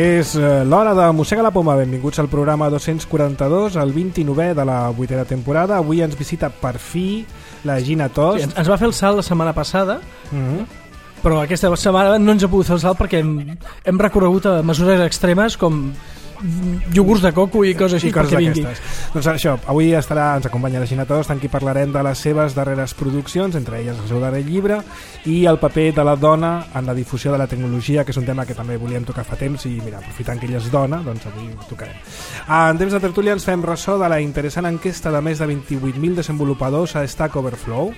És l'hora de Mossega la Poma. Benvinguts al programa 242, el 29è de la 8ª temporada. Avui ens visita per fi la Gina Tost. Sí, ens va fer el salt la setmana passada, però aquesta setmana no ens ha pogut fer el salt perquè hem recorregut a mesures extremes com iogurts de coco i coses així. I coses d'aquestes. Doncs això, avui ens acompanya la Gina Tost, en qui parlarem de les seves darreres produccions, entre elles el seu darrer llibre, i el paper de la dona en la difusió de la tecnologia, que és un tema que també volíem tocar fa temps, i mira, aprofitant que ella és dona, doncs avui ho tocarem. En temps de tertúlia ens fem ressò de la interessant enquesta de més de 28.000 desenvolupadors a Stack Overflow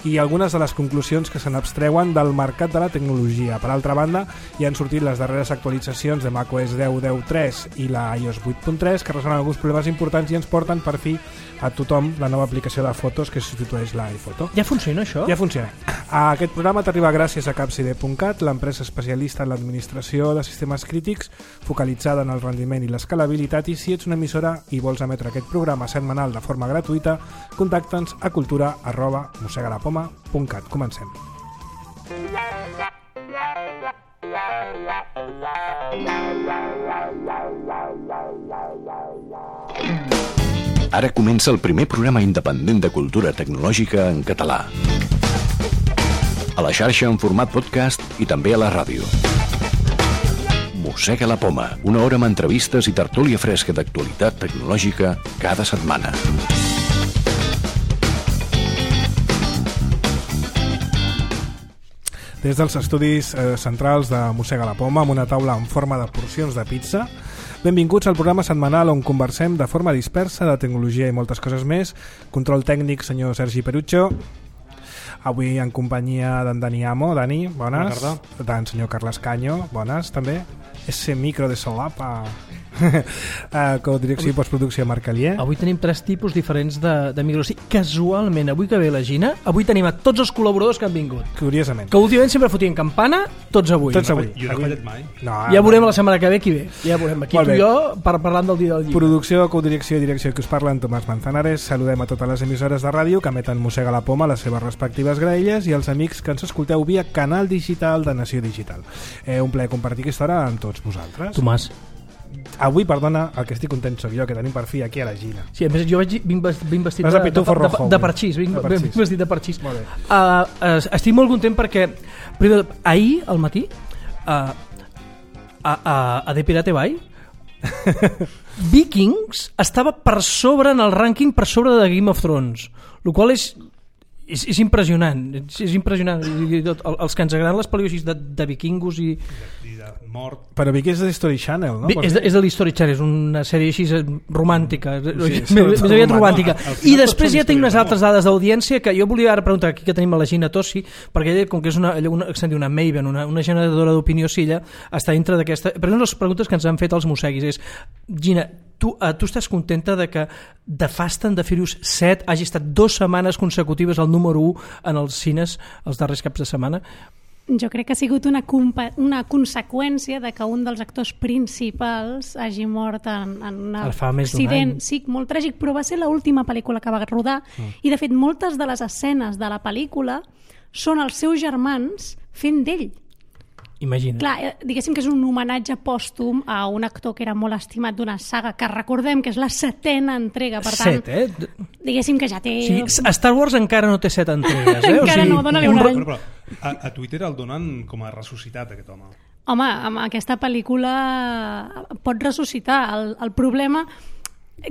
i algunes de les conclusions que se n'abstreuen del mercat de la tecnologia. Per altra banda, hi han sortit les darreres actualitzacions de macOS 10.10.3 i la iOS 8.3 que resolen alguns problemes importants i ens porten per fi a tothom la nova aplicació de fotos que substitueix l'iPhoto. Ja funciona això? Ja funciona. Aquest programa t'arriba gràcies a Capcide.cat, l'empresa especialista en l'administració de sistemes crítics focalitzada en el rendiment i l'escalabilitat, i si ets una emissora i vols emetre aquest programa setmanal de forma gratuïta, contacta'ns a cultura@mossegalapoma.cat. Comencem. Ara comença el primer programa independent de cultura tecnològica en català. A la xarxa en format podcast i també a la ràdio. Mossega la Poma, una hora amb entrevistes i tertúlia fresca d'actualitat tecnològica cada setmana. Des dels estudis centrals de Mossega la Poma, amb una taula en forma de porcions de pizza, benvinguts al programa setmanal on conversem de forma dispersa de tecnologia i moltes coses més. Control tècnic, senyor Sergi Perucho. Avui en companyia d'en Dani Amo. Dani, bones. D'en senyor Carles Canyo, bones també. Ese micro de solapa. Codirecció i postproducció Marc Alier. Avui tenim 3 tipus diferents de micros. Casualment, avui que ve la Gina, avui tenim a tots els col·laboradors que han vingut. Curiosament. Que últimament sempre fotien campana, tots avui. Tots avui. Jo no he fallat mai. No, ja veurem la setmana que ve qui ve. Ja veurem. Aquí tu i jo parlant del dia del llibre. Producció, codirecció i direcció que us parlen Tomàs Manzanares. Saludem a totes les emissores de ràdio que emeten Mossega la Poma a les seves respectives graelles i als amics que ens escolteu via canal digital de Nació Digital. Un plaer compartir aquesta hora amb tots vosaltres. Tomàs. Avui, perdona, el que estic content soc jo, que tenim per fi aquí a la Gina. Sí, a més jo vinc vestit de parxís, vinc vestit de parxís. Molt bé. Estic molt content perquè ahir al matí a The Pirate Bay Vikings estava per sobre en el rànquing, per sobre de Game of Thrones, el qual és impressionant. És impressionant. Els que ens agraden les pel·lícules de vikingos i mort. Però Vikings és de History Channel, no? És de l'History Channel, és una sèrie així romàntica, més aviat romàntica. I després ja tinc unes altres dades d'audiència que jo volia ara preguntar aquí que tenim a la Gina Tossi, perquè ella, com que és una Maven, una generadora d'opinió silla, està dintre d'aquesta... Però una de les preguntes que ens han fet els mosseguis és: Gina, tu estàs contenta de que The Fast and the Furious 7 hagi estat 2 setmanes consecutives al número 1 en els cines els darrers caps de setmana? Jo crec que ha sigut una conseqüència de que un dels actors principals hagi mort en un accident, sí, molt tràgic, però va ser l'última pel·lícula que va rodar i de fet moltes de les escenes de la pel·lícula són els seus germans fent d'ell. Imagina. Clar, diguéssim que és un homenatge pòstum a un actor que era molt estimat d'una saga que recordem que és la 7ª entrega, per tant, diguéssim que ja té... Sí, Star Wars encara no té 7 entregues, encara no, dona-li un any. Però a Twitter el donen com a ressuscitat, aquest home. Home, amb aquesta pel·lícula pot ressuscitar. El problema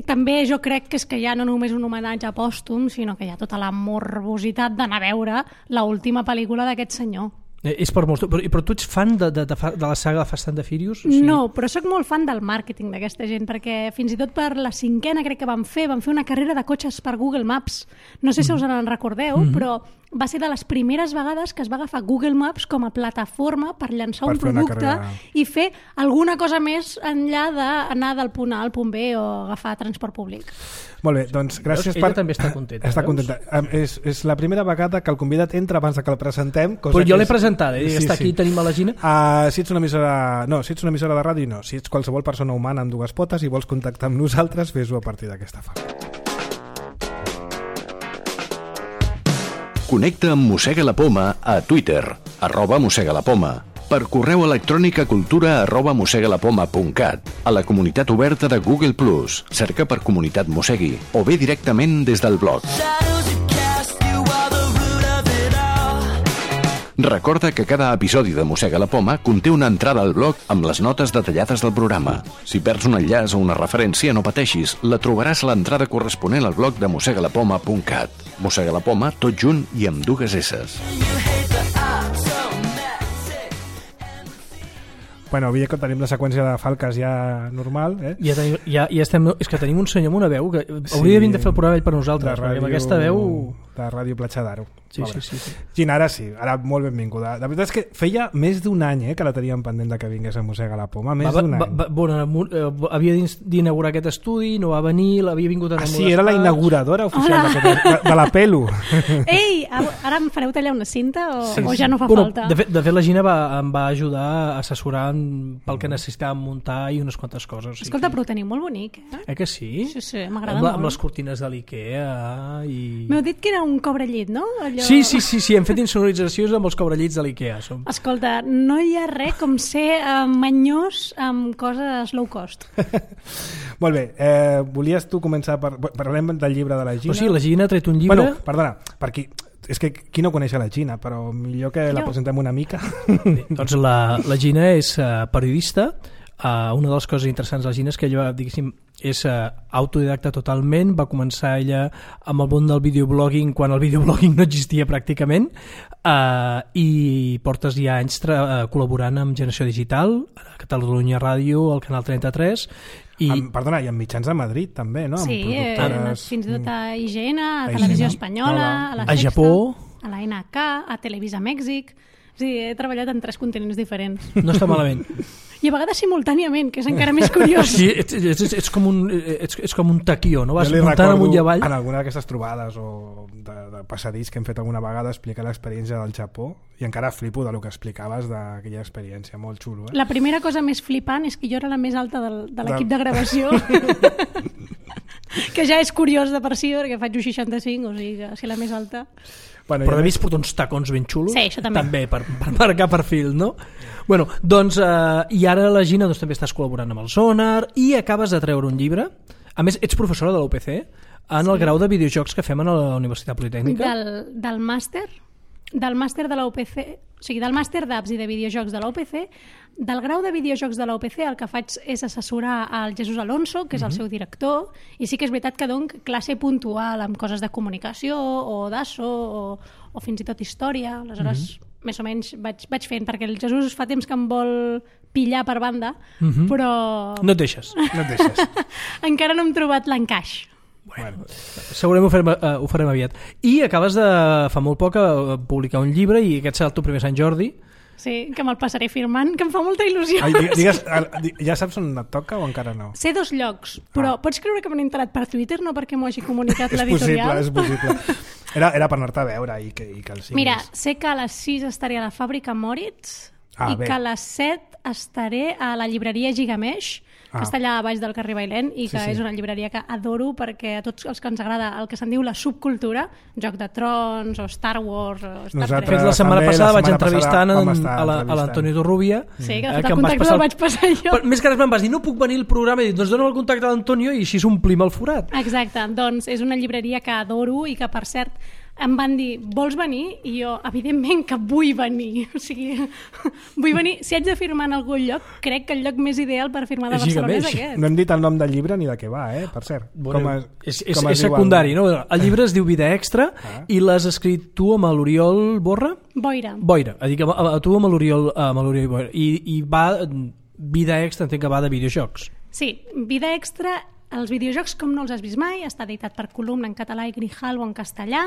també jo crec que és que hi ha no només un homenatge pòstum, sinó que hi ha tota la morbositat d'anar a veure l'última pel·lícula d'aquest senyor. És per molts... Però tu ets fan de la saga de Fast and the Furious? Sí. No, però sóc molt fan del màrqueting d'aquesta gent, perquè fins i tot per la 5ª crec que van fer una carrera de cotxes per Google Maps. No sé si us en recordeu, però va ser de les primeres vegades que es va agafar Google Maps com a plataforma per llançar un producte i fer alguna cosa més enllà d'anar del punt A al punt B o agafar transport públic. Molt bé, doncs gràcies. Ella també està contenta. Està contenta. És la primera vegada que el convidat entra abans que el presentem. Però jo l'he presentat, està aquí, tenim a la Gina. Si ets una emissora de ràdio, no. Si ets qualsevol persona humana amb 2 potes i vols contactar amb nosaltres, fes-ho a partir d'aquesta forma. Connecta amb Mossega la Poma a Twitter, @Mossega la Poma, per per correu electrònic a cultura@mossegalapoma.cat, a la comunitat oberta de Google+, cerca per Comunitat Mossegui, o bé directament des del blog. Recorda que cada episodi de Mossega la Poma conté una entrada al blog amb les notes detallades del programa. Si perds un enllaç o una referència, no pateixis, la trobaràs a l'entrada corresponent al blog de mossegalapoma.cat. Mossega la Poma, tot junt i amb 2 esses. Bueno, avui que tenim la seqüència de falques ja normal, Ja estem... És que tenim un senyor amb una veu que hauria de fer el programa ell per nosaltres, perquè amb aquesta veu... De Ràdio Platja d'Aro. Sí. Gina, ara sí, ara molt benvinguda. La veritat és que feia més d'un any que la teníem pendent de que vingués a Mossega la Poma, més d'un any. Havia d'inaugurar aquest estudi, no va venir, l'havia vingut a sí, era la inauguradora oficial de la Pelu. Ei, ara em fareu tallar una cinta o ja no fa falta? De fet, la Gina em va ajudar a assessorar pel que necessitàvem muntar i unes quantes coses. Escolta, però ho teniu molt bonic, eh? Que sí? Sí, m'agrada molt. Amb les cortines de l'Ikea i... M'heu dit que era un cobrellit, no? Sí, hem fet insonoritzacions amb els cobrellits de l'Ikea. Escolta, no hi ha res com ser manyós amb coses low cost. Molt bé, volies tu començar parlem del llibre de la Gina? O sigui, la Gina ha tret un llibre... Bueno, perdona, per és que qui no coneix la Gina, però millor que la presentem una mica. Doncs la Gina és periodista. Una de les coses interessants de la Gina és que ella, diguéssim, és autodidacta totalment, va començar ella amb el món del videoblogging quan el videoblogging no existia pràcticament, i portes ja anys col·laborant amb Generació Digital, a Catalunya Ràdio, al Canal 33, i amb mitjans de Madrid també, no? Sí, fins i tot a IGN, a Televisió Espanyola, a la Sexta, Japó, a la NK, a Televisa Mèxic. Sí, he treballat en 3 continents diferents. No està malament. I a vegades simultàniament, que és encara més curiós. Sí, ets com un taquió, no? Vas muntant amunt i avall. En alguna d'aquestes trobades o de passadís que hem fet alguna vegada explicar l'experiència del Japó, i encara flipo de lo que explicaves d'aquella experiència, molt xulo. La primera cosa més flipant és que jo era la més alta de l'equip de gravació. Que ja és curiós de per si, perquè faig 1,65, o sigui que si la més alta... Bueno, però de més porta uns tacons ben xulos. Sí, això també. Per marcar perfil, no? Bueno, doncs, i ara la Gina també estàs col·laborant amb el Sonar i acabes de treure un llibre. A més, ets professora de la UPC en el grau de videojocs que fem a la Universitat Politècnica. Del màster de la UPC, o sigui, del màster d'apps i de videojocs de la UPC. Del grau de videojocs de la UPC el que faig és assessorar al Jesús Alonso, que és el seu director, i sí que és veritat que dono classe puntual amb coses de comunicació o d'ASO o fins i tot història. Aleshores, més o menys vaig fent, perquè el Jesús fa temps que em vol pillar per banda, però... No et deixes. Encara no hem trobat l'encaix. Bueno, segurament ho farem aviat. I acabes de, fa molt poc, publicar un llibre, i aquest serà el teu primer Sant Jordi. Sí, que me'l passaré firmant, que em fa molta il·lusió. Digues, ja saps on et toca o encara no? Sé 2 llocs, però pots creure que m'han enterat per Twitter, no perquè m'ho hagi comunicat l'editorial? És possible. Era per anar-te a veure i que el siguis. Mira, sé que a les 6 estaré a la Fàbrica Moritz que a les 7 estaré a la llibreria Gigamesh, que està allà a baix del carrer Bailén, i que és una llibreria que adoro perquè a tots els que ens agrada el que se'n diu la subcultura, Joc de Trons o Star Wars o Star Trek. La setmana passada vaig entrevistar a l'Antonio Torrubia. Sí, que de fet el contacte el vaig passar jo. Més que res me'n vas dir, no puc venir al programa, i dic, doncs dona'm el contacte a l'Antonio i així s'omplim el forat. Exacte, doncs és una llibreria que adoro i que, per cert, em van dir, vols venir? I jo, evidentment que vull venir. O sigui, vull venir. Si haig de firmar en algun lloc, crec que el lloc més ideal per firmar de Barcelona és aquest. No hem dit el nom del llibre ni de què va, per cert. Bueno, és secundari, no? El llibre es diu Vida Extra i l'has escrit tu amb l'Oriol Boira. Dic, tu amb l'Oriol Boira. I va, Vida Extra entenc que va de videojocs. Sí, Vida Extra, els videojocs com no els has vist mai, està editat per Columna en català i Grijalbo en castellà.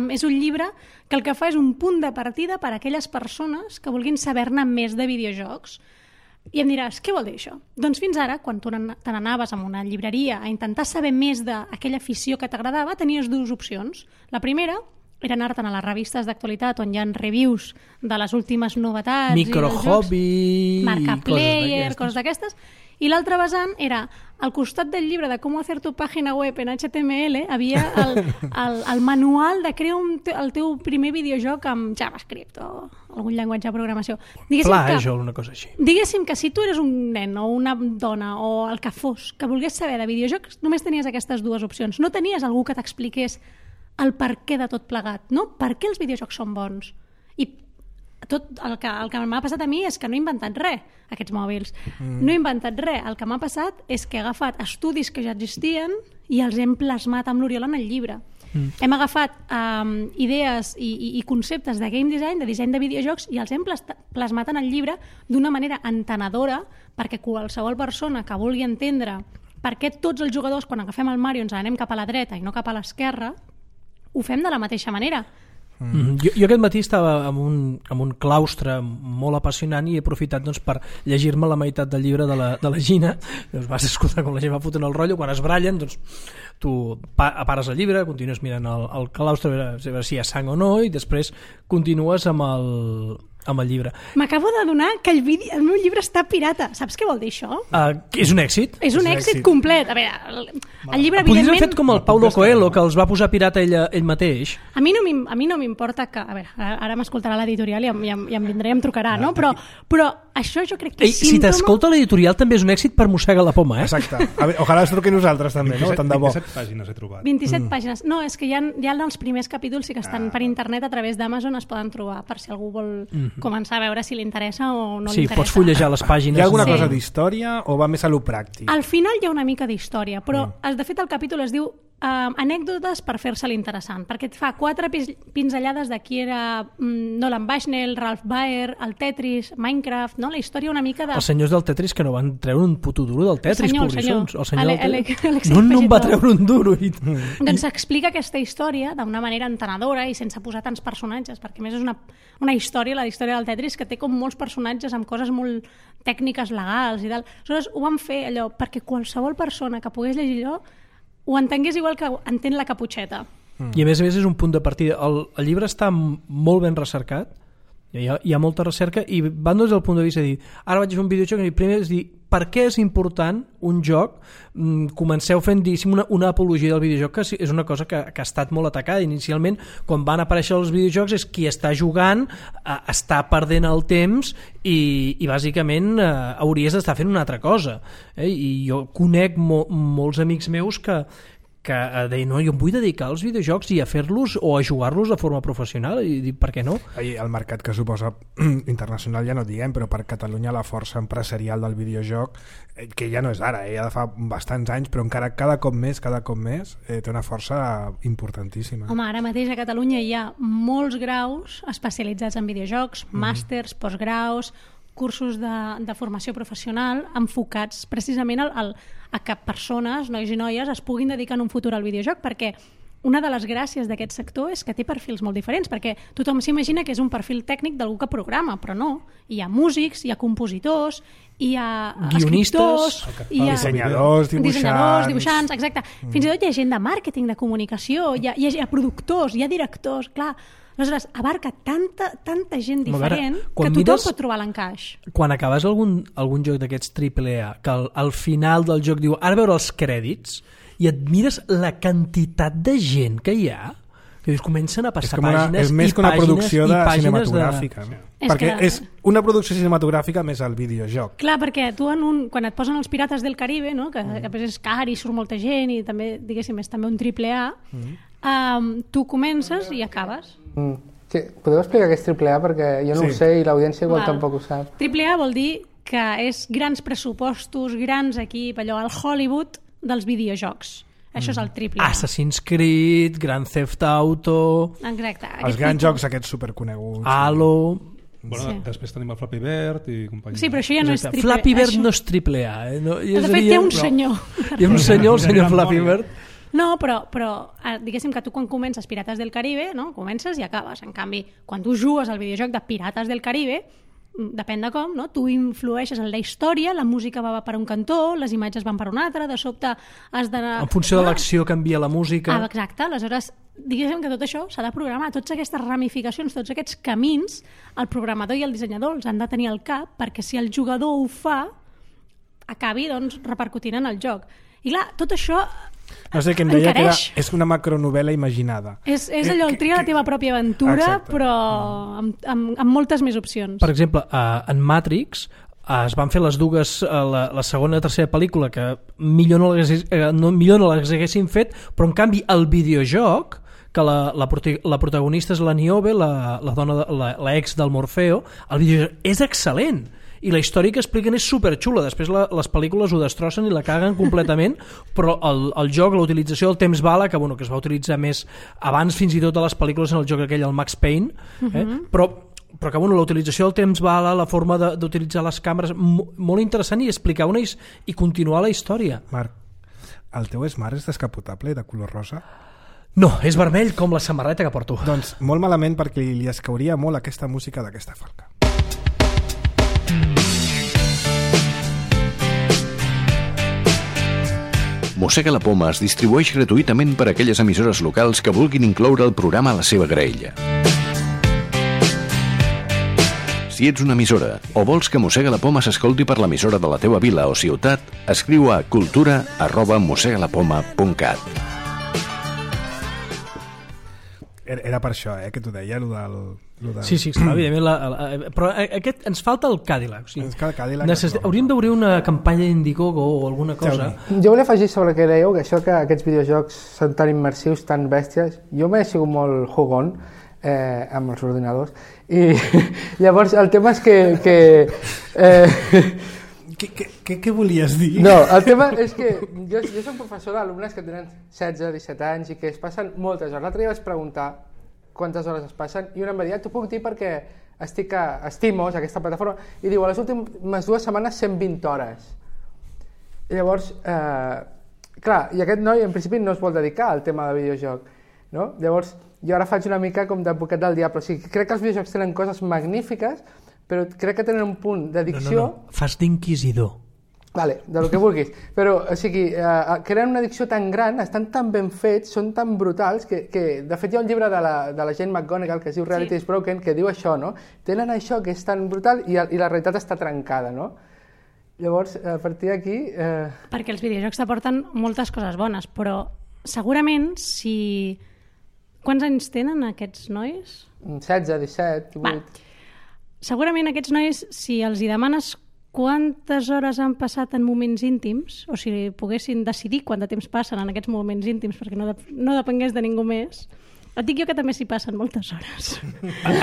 És un llibre que el que fa és un punt de partida per a aquelles persones que vulguin saber-ne més de videojocs. I em diràs, què vol dir això? Doncs fins ara, quan tu te n'anaves a una llibreria a intentar saber més d'aquella afició que t'agradava, tenies 2 opcions. La primera era anar-te'n a les revistes d'actualitat on hi ha reviews de les últimes novetats, Microhobby, Marcaplayer, coses d'aquestes. I l'altre vessant era, al costat del llibre de com hacer tu pàgina web en HTML, havia el manual de crear el teu primer videojoc amb JavaScript o algun llenguatge de programació. Flash o una cosa així. Diguéssim que si tu eres un nen o una dona o el que fos, que volgués saber de videojocs, només tenies aquestes dues opcions. No tenies algú que t'expliqués el per què de tot plegat, no? Per què els videojocs són bons? I tot el que m'ha passat a mi és que no he inventat res, aquests mòbils. No he inventat res. El que m'ha passat és que he agafat estudis que ja existien i els hem plasmat amb l'Oriol en el llibre. Hem agafat idees i conceptes de game design, de disseny de videojocs, i els hem plasmat en el llibre d'una manera entenedora perquè qualsevol persona que vulgui entendre per què tots els jugadors, quan agafem el Mario, ens anem cap a la dreta i no cap a l'esquerra, ho fem de la mateixa manera. Jo aquest matí estava en un claustre molt apassionant i he aprofitat per llegir-me la meitat del llibre de la Gina. Vas escoltar com la gent va fotent el rotllo, quan es brallen tu pares el llibre, continues mirant el claustre a veure si hi ha sang o no i després continues amb el llibre. M'acabo d'adonar que el meu llibre està pirata. Saps què vol dir això? És un èxit. És un èxit complet. A veure, el llibre podries evidentment... haver fet com el Paulo Coelho, que els va posar pirata ell mateix. A mi no m'importa que... A veure, ara m'escoltarà l'editorial i em vindrà i em trucarà, no? Però això jo crec que és símptoma... Si t'escolta l'editorial també és un èxit per Mossega la Poma, eh? Exacte. Ojalà es truqui nosaltres també, 27, no? Tant de bo. 27 pàgines he trobat. 27 pàgines. No, és que hi ha els primers capítols sí que estan per internet a través d'Amazon, es poden trobar per si algú vol començar a veure si li interessa o no li interessa. Sí, pots fullejar les pàgines. Hi ha alguna cosa d'història o va més a lo pràctic? Al final hi ha una mica d'història, però de fet el capítol es diu anècdotes per fer-se l'interessant, perquè et fa 4 pinzellades de qui era Nolan Bushnell, Ralph Baer, el Tetris, Minecraft, no? La història una mica de... Els senyors del Tetris que no van treure un puto duro del Tetris, pobrissons. El senyor Alex no em va treure un duro. Doncs explica aquesta història d'una manera entenedora i sense posar tants personatges, perquè a més és una història, la història del Tetris, que té com molts personatges amb coses molt tècniques legals i tal. Aleshores ho van fer allò perquè qualsevol persona que pogués llegir allò ho entengués igual que entén la Caputxeta. I a més és un punt de partida. El llibre està molt ben recercat, hi ha molta recerca i van des del punt de vista de dir, ara vaig fer un videojoc i primer és dir, per què és important un joc? Comenceu fent una apologia del videojoc, que és una cosa que ha estat molt atacada inicialment. Quan van aparèixer els videojocs és qui està jugant, està perdent el temps i bàsicament hauries d'estar fent una altra cosa. I jo conec molts amics meus que deien, no, jo em vull dedicar als videojocs i a fer-los o a jugar-los de forma professional, i dic, per què no? El mercat que suposa internacional ja no diguem, però per Catalunya la força empresarial del videojoc, que ja no és ara, ja de fa bastants anys, però encara cada cop més té una força importantíssima. Home, ara mateix a Catalunya hi ha molts graus especialitzats en videojocs, màsters, postgraus, cursos de formació professional enfocats precisament a que persones, nois i noies, es puguin dedicar en un futur al videojoc, perquè una de les gràcies d'aquest sector és que té perfils molt diferents, perquè tothom s'imagina que és un perfil tècnic d'algú que programa, però no. Hi ha músics, hi ha compositors, hi ha escriptors, hi ha dissenyadors, dibuixants, exacte. Fins i tot hi ha gent de màrqueting, de comunicació, hi ha productors, hi ha directors, clar. Aleshores, abarca tanta gent diferent que tothom pot trobar l'encaix. Quan acabes algun joc d'aquests AAA, que al final del joc diu, ara veure els crèdits, i et mires la quantitat de gent que hi ha, que dius, comencen a passar pàgines és més i que una pàgines producció i pàgines cinematogràfica. Perquè és una producció cinematogràfica més el videojoc. Clar, perquè tu quan et posen els Pirates del Caribe, no? que després és car i surt molta gent i també, diguéssim, és també un AAA, tu comences i acabes. Sí, podeu explicar què és AAA? Perquè jo no ho sé i l'audiència igual tampoc ho sap. AAA vol dir que és grans pressupostos, grans equip, allò, el Hollywood dels videojocs. Això és el AAA. Assassin's Creed, Grand Theft Auto... Exacte. Els grans jocs aquests superconeguts. Halo... Bueno, després tenim el Flappy Bird i companyia. Sí, però això ja no és AAA. Flappy Bird no és AAA. De fet, hi ha un senyor. Hi ha un senyor, el senyor Flappy Bird. No, però diguéssim que tu quan comences Pirates del Caribe, no? Comences i acabes. En canvi, quan tu jugues al videojoc de Pirates del Caribe, depèn de com, no? Tu influeixes en la història, la música va per un cantó, les imatges van per un altre, de sobte has d'anar... En funció de l'acció canvia la música. Exacte, aleshores diguéssim que tot això s'ha de programar, totes aquestes ramificacions, tots aquests camins, el programador i el dissenyador els han de tenir al cap, perquè si el jugador ho fa, acabi doncs, repercutint en el joc. I clar, tot això no sé, que em deia que és una macronovel·la imaginada. És allò, el tria la teva pròpia aventura, exacte, però amb moltes més opcions. Per exemple, en Matrix es van fer les dues, la segona i tercera pel·lícula, que millor no les haguessin fet, però en canvi el videojoc, que la protagonista és la Niobe, la dona, la ex del Morfeo, el videojoc és excel·lent. I la història que expliquen és superxula. Després les pel·lícules ho destrossen i la caguen completament, però el joc, la utilització del temps bala, que es va utilitzar més abans fins i tot a les pel·lícules en el joc aquell, el Max Payne, però que la utilització del temps bala, la forma d'utilitzar les càmeres, molt interessant, i explicar i continuar la història. Marc, el teu Smart és descapotable de color rosa? No, és vermell com la samarreta que porto. Doncs molt malament, perquè li escauria molt aquesta música d'aquesta falca. Mossega la Poma es distribueix gratuïtament per a aquelles emissores locals que vulguin incloure el programa a la seva graella. Si ets una emissora o vols que Mossega la Poma s'escolti per l'emissora de la teva vila o ciutat, escriu a cultura@mossegalapoma.cat. Era per això, que t'ho deia, lo del... Sí, evidentment, però ens falta el Cadillac. O sigui, hauríem d'obrir una campanya d'Indiegogo o alguna cosa. Jo volia afegir sobre el que dèieu, que això que aquests videojocs són tan immersius, tan bèsties. Jo m'he sigut molt jugón amb els ordinadors, i llavors el tema és que Què volies dir? No, el tema és que jo soc professor d'alumnes que tenen 16-17 anys i que es passen moltes hores. L'altre dia vaig preguntar quantes hores es passen i una em va dir, t'ho puc dir perquè estic a Estimos, aquesta plataforma, i diu, a les últimes 2 setmanes 120 hores. I llavors, clar, i aquest noi en principi no es vol dedicar al tema de videojoc, no? Llavors, jo ara faig una mica com d'advocat del diable, o sigui, crec que els videojocs tenen coses magnífiques, però crec que tenen un punt d'addicció... No, fas d'inquisidor. Vale, de lo que vulguis. Però, o sigui, creen una addicció tan gran, estan tan ben fets, són tan brutals, que de fet hi ha un llibre de la Jane McGonigal que es diu Reality is Broken, que diu això, no? Tenen això que és tan brutal i la realitat està trencada, no? Llavors, a partir d'aquí... Perquè els videojocs t'aporten moltes coses bones, però segurament si... Quants anys tenen aquests nois? 16, 17, 18... Va. Segurament aquests nois, si els hi demanes quantes hores han passat en moments íntims, o si poguessin decidir quant de temps passen en aquests moments íntims perquè no depengués de ningú més, et dic jo que també s'hi passen moltes hores.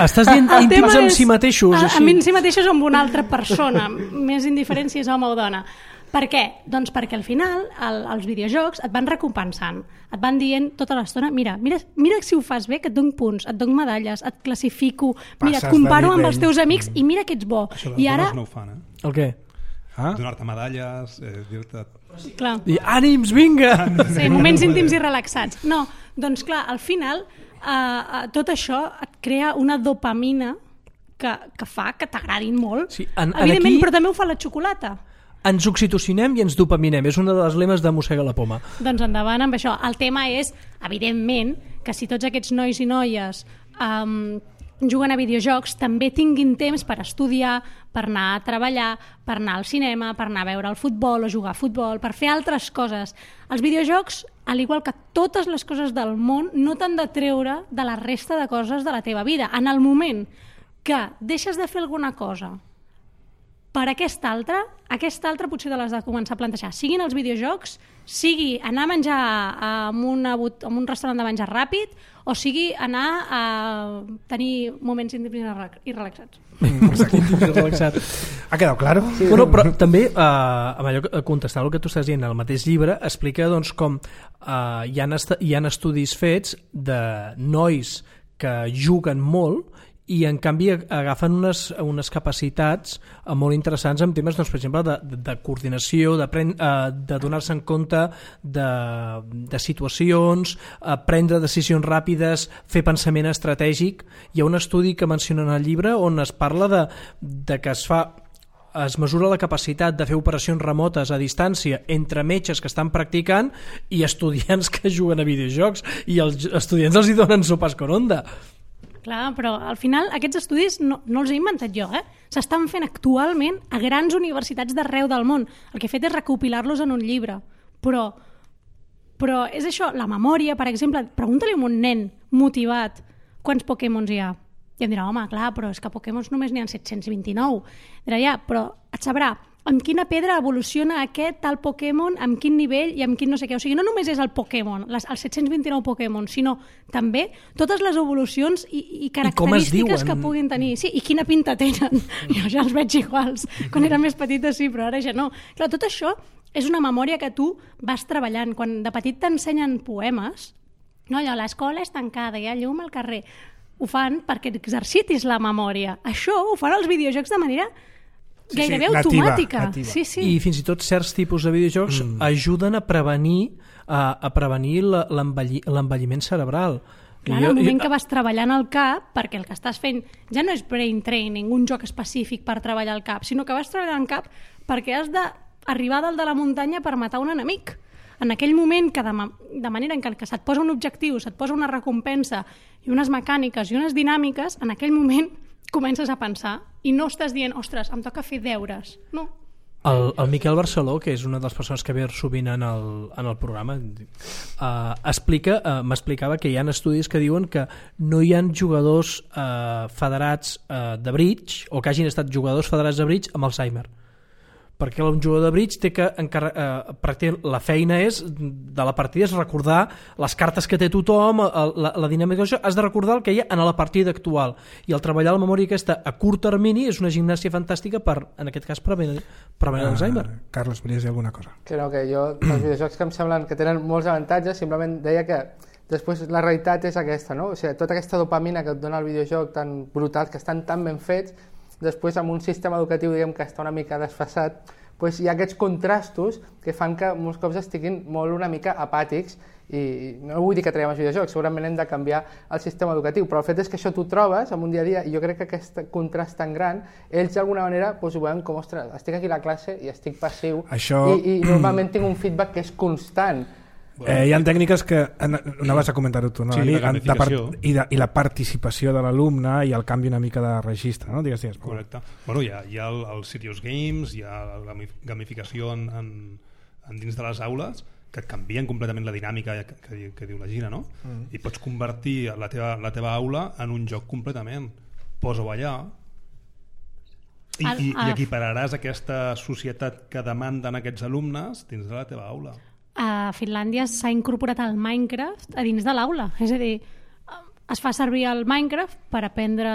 Estàs dient íntims amb si mateixos? Amb si mateixos o amb una altra persona, més indiferent si és home o dona. Per què? Doncs perquè al final els videojocs et van recompensant, et van dient tota l'estona, mira si ho fas bé, que et dono punts, et dono medalles, et classifico, mira, et comparo amb els teus amics i mira que ets bo. Això I ara... ara... no ho fan, El què? Donar-te medalles, dir-te... Clar. I ànims, vinga! Sí, moments íntims i relaxats. No, doncs clar, al final tot això et crea una dopamina que fa que t'agradin molt. Sí, evidentment, aquí... però també ho fa la xocolata. Ens oxitocinem i ens dopaminem. És una de les lemes de Mossega la Poma. Doncs endavant amb això. El tema és, evidentment, que si tots aquests nois i noies juguen a videojocs, també tinguin temps per estudiar, per anar a treballar, per anar al cinema, per anar a veure el futbol o jugar a futbol, per fer altres coses. Els videojocs, al igual que totes les coses del món, no t'han de treure de la resta de coses de la teva vida. En el moment que deixes de fer alguna cosa per aquesta altra potser te l'has de començar a plantejar. Siguin els videojocs, sigui anar a menjar en un restaurant de menjar ràpid, o sigui anar a tenir moments íntims i relaxats. Relaxat. Ha quedat clar? Sí. Bueno, però també, amb allò, contestant el que tu estàs dient, el mateix llibre explica doncs, com hi ha estudis fets de nois que juguen molt i en canvi agafen unes capacitats molt interessants en temes, doncs, per exemple, de coordinació, de donar-se en compte de situacions, prendre decisions ràpides, fer pensament estratègic. Hi ha un estudi que menciona en el llibre on es parla de que es fa es mesura la capacitat de fer operacions remotes a distància entre metges que estan practicant i estudiants que juguen a videojocs, i els estudiants els hi donen sopes con onda. Clar, però al final aquests estudis no els he inventat jo, s'estan fent actualment a grans universitats d'arreu del món. El que he fet és recopilar-los en un llibre. Però és això, la memòria, per exemple, pregunta-li a un nen motivat quants Pokémons hi ha. I em dirà, home, clar, però és que Pokémons només n'hi ha 729. Dirà, ja, però et sabrà amb quina pedra evoluciona aquest tal Pokémon, amb quin nivell i amb quin no sé què. O sigui, no només és el Pokémon, els 729 Pokémon, sinó també totes les evolucions i característiques que puguin tenir. Sí, i quina pinta tenen. Jo ja els veig iguals. Quan era més petita sí, però ara ja no. Clar, tot això és una memòria que tu vas treballant. Quan de petit t'ensenyen poemes, no, allò, l'escola és tancada, hi ha llum al carrer. Ho fan perquè exercitis la memòria. Això ho fan els videojocs de manera gairebé automàtica. Nativa. Sí. I fins i tot certs tipus de videojocs ajuden a prevenir l'envelliment cerebral. Clar, en el moment que vas treballant el cap, perquè el que estàs fent ja no és brain training, un joc específic per treballar el cap, sinó que vas treballant el cap perquè has d'arribar dalt de la muntanya per matar un enemic. En aquell moment, que de manera en què se't posa un objectiu, se't posa una recompensa i unes mecàniques i unes dinàmiques, en aquell moment comences a pensar i no estàs dient, ostres, em toca fer deures. No. El Miquel Barceló, que és una de les persones que ve sovint en el programa, m'explicava que hi ha estudis que diuen que no hi ha jugadors federats de bridge, o que hagin estat jugadors federats de bridge amb Alzheimer. Perquè un jugador de bridge té que la feina de la partida és recordar les cartes que té tothom, la dinàmica d'això, has de recordar el que hi ha en la partida actual, i el treballar la memòria aquesta a curt termini és una gimnàsia fantàstica per, en aquest cas, prevenir l'Alzheimer. Carles, volies dir alguna cosa? Que jo, els videojocs que em semblen que tenen molts avantatges, simplement deia que després la realitat és aquesta, no? O sigui, tota aquesta dopamina que et dona el videojoc tan brutal, que estan tan ben fets, després amb un sistema educatiu diguem que està una mica desfasat, doncs hi ha aquests contrastos que fan que molts cops estiguin molt una mica apàtics, i no vull dir que traiem els videojocs, segurament hem de canviar el sistema educatiu, però el fet és que això t'ho trobes en un dia a dia, i jo crec que aquest contrast tan gran, ells d'alguna manera ho veuen com, ostres, estic aquí a la classe i estic passiu, i normalment tinc un feedback que és constant. Hi ha tècniques que anaves a comentar-ho tu, no? Sí, la gamificació i la participació de l'alumne i el canvi una mica de registre, no? Digues. Correcte. Bueno, hi ha el Serious Games, hi ha la gamificació dins de les aules que et canvien completament la dinàmica que diu la Gina, no? I pots convertir la teva aula en un joc completament. Posa-ho allà i equipararàs aquesta societat que demanden aquests alumnes dins de la teva aula. A Finlàndia s'ha incorporat el Minecraft a dins de l'aula, és a dir, es fa servir el Minecraft per aprendre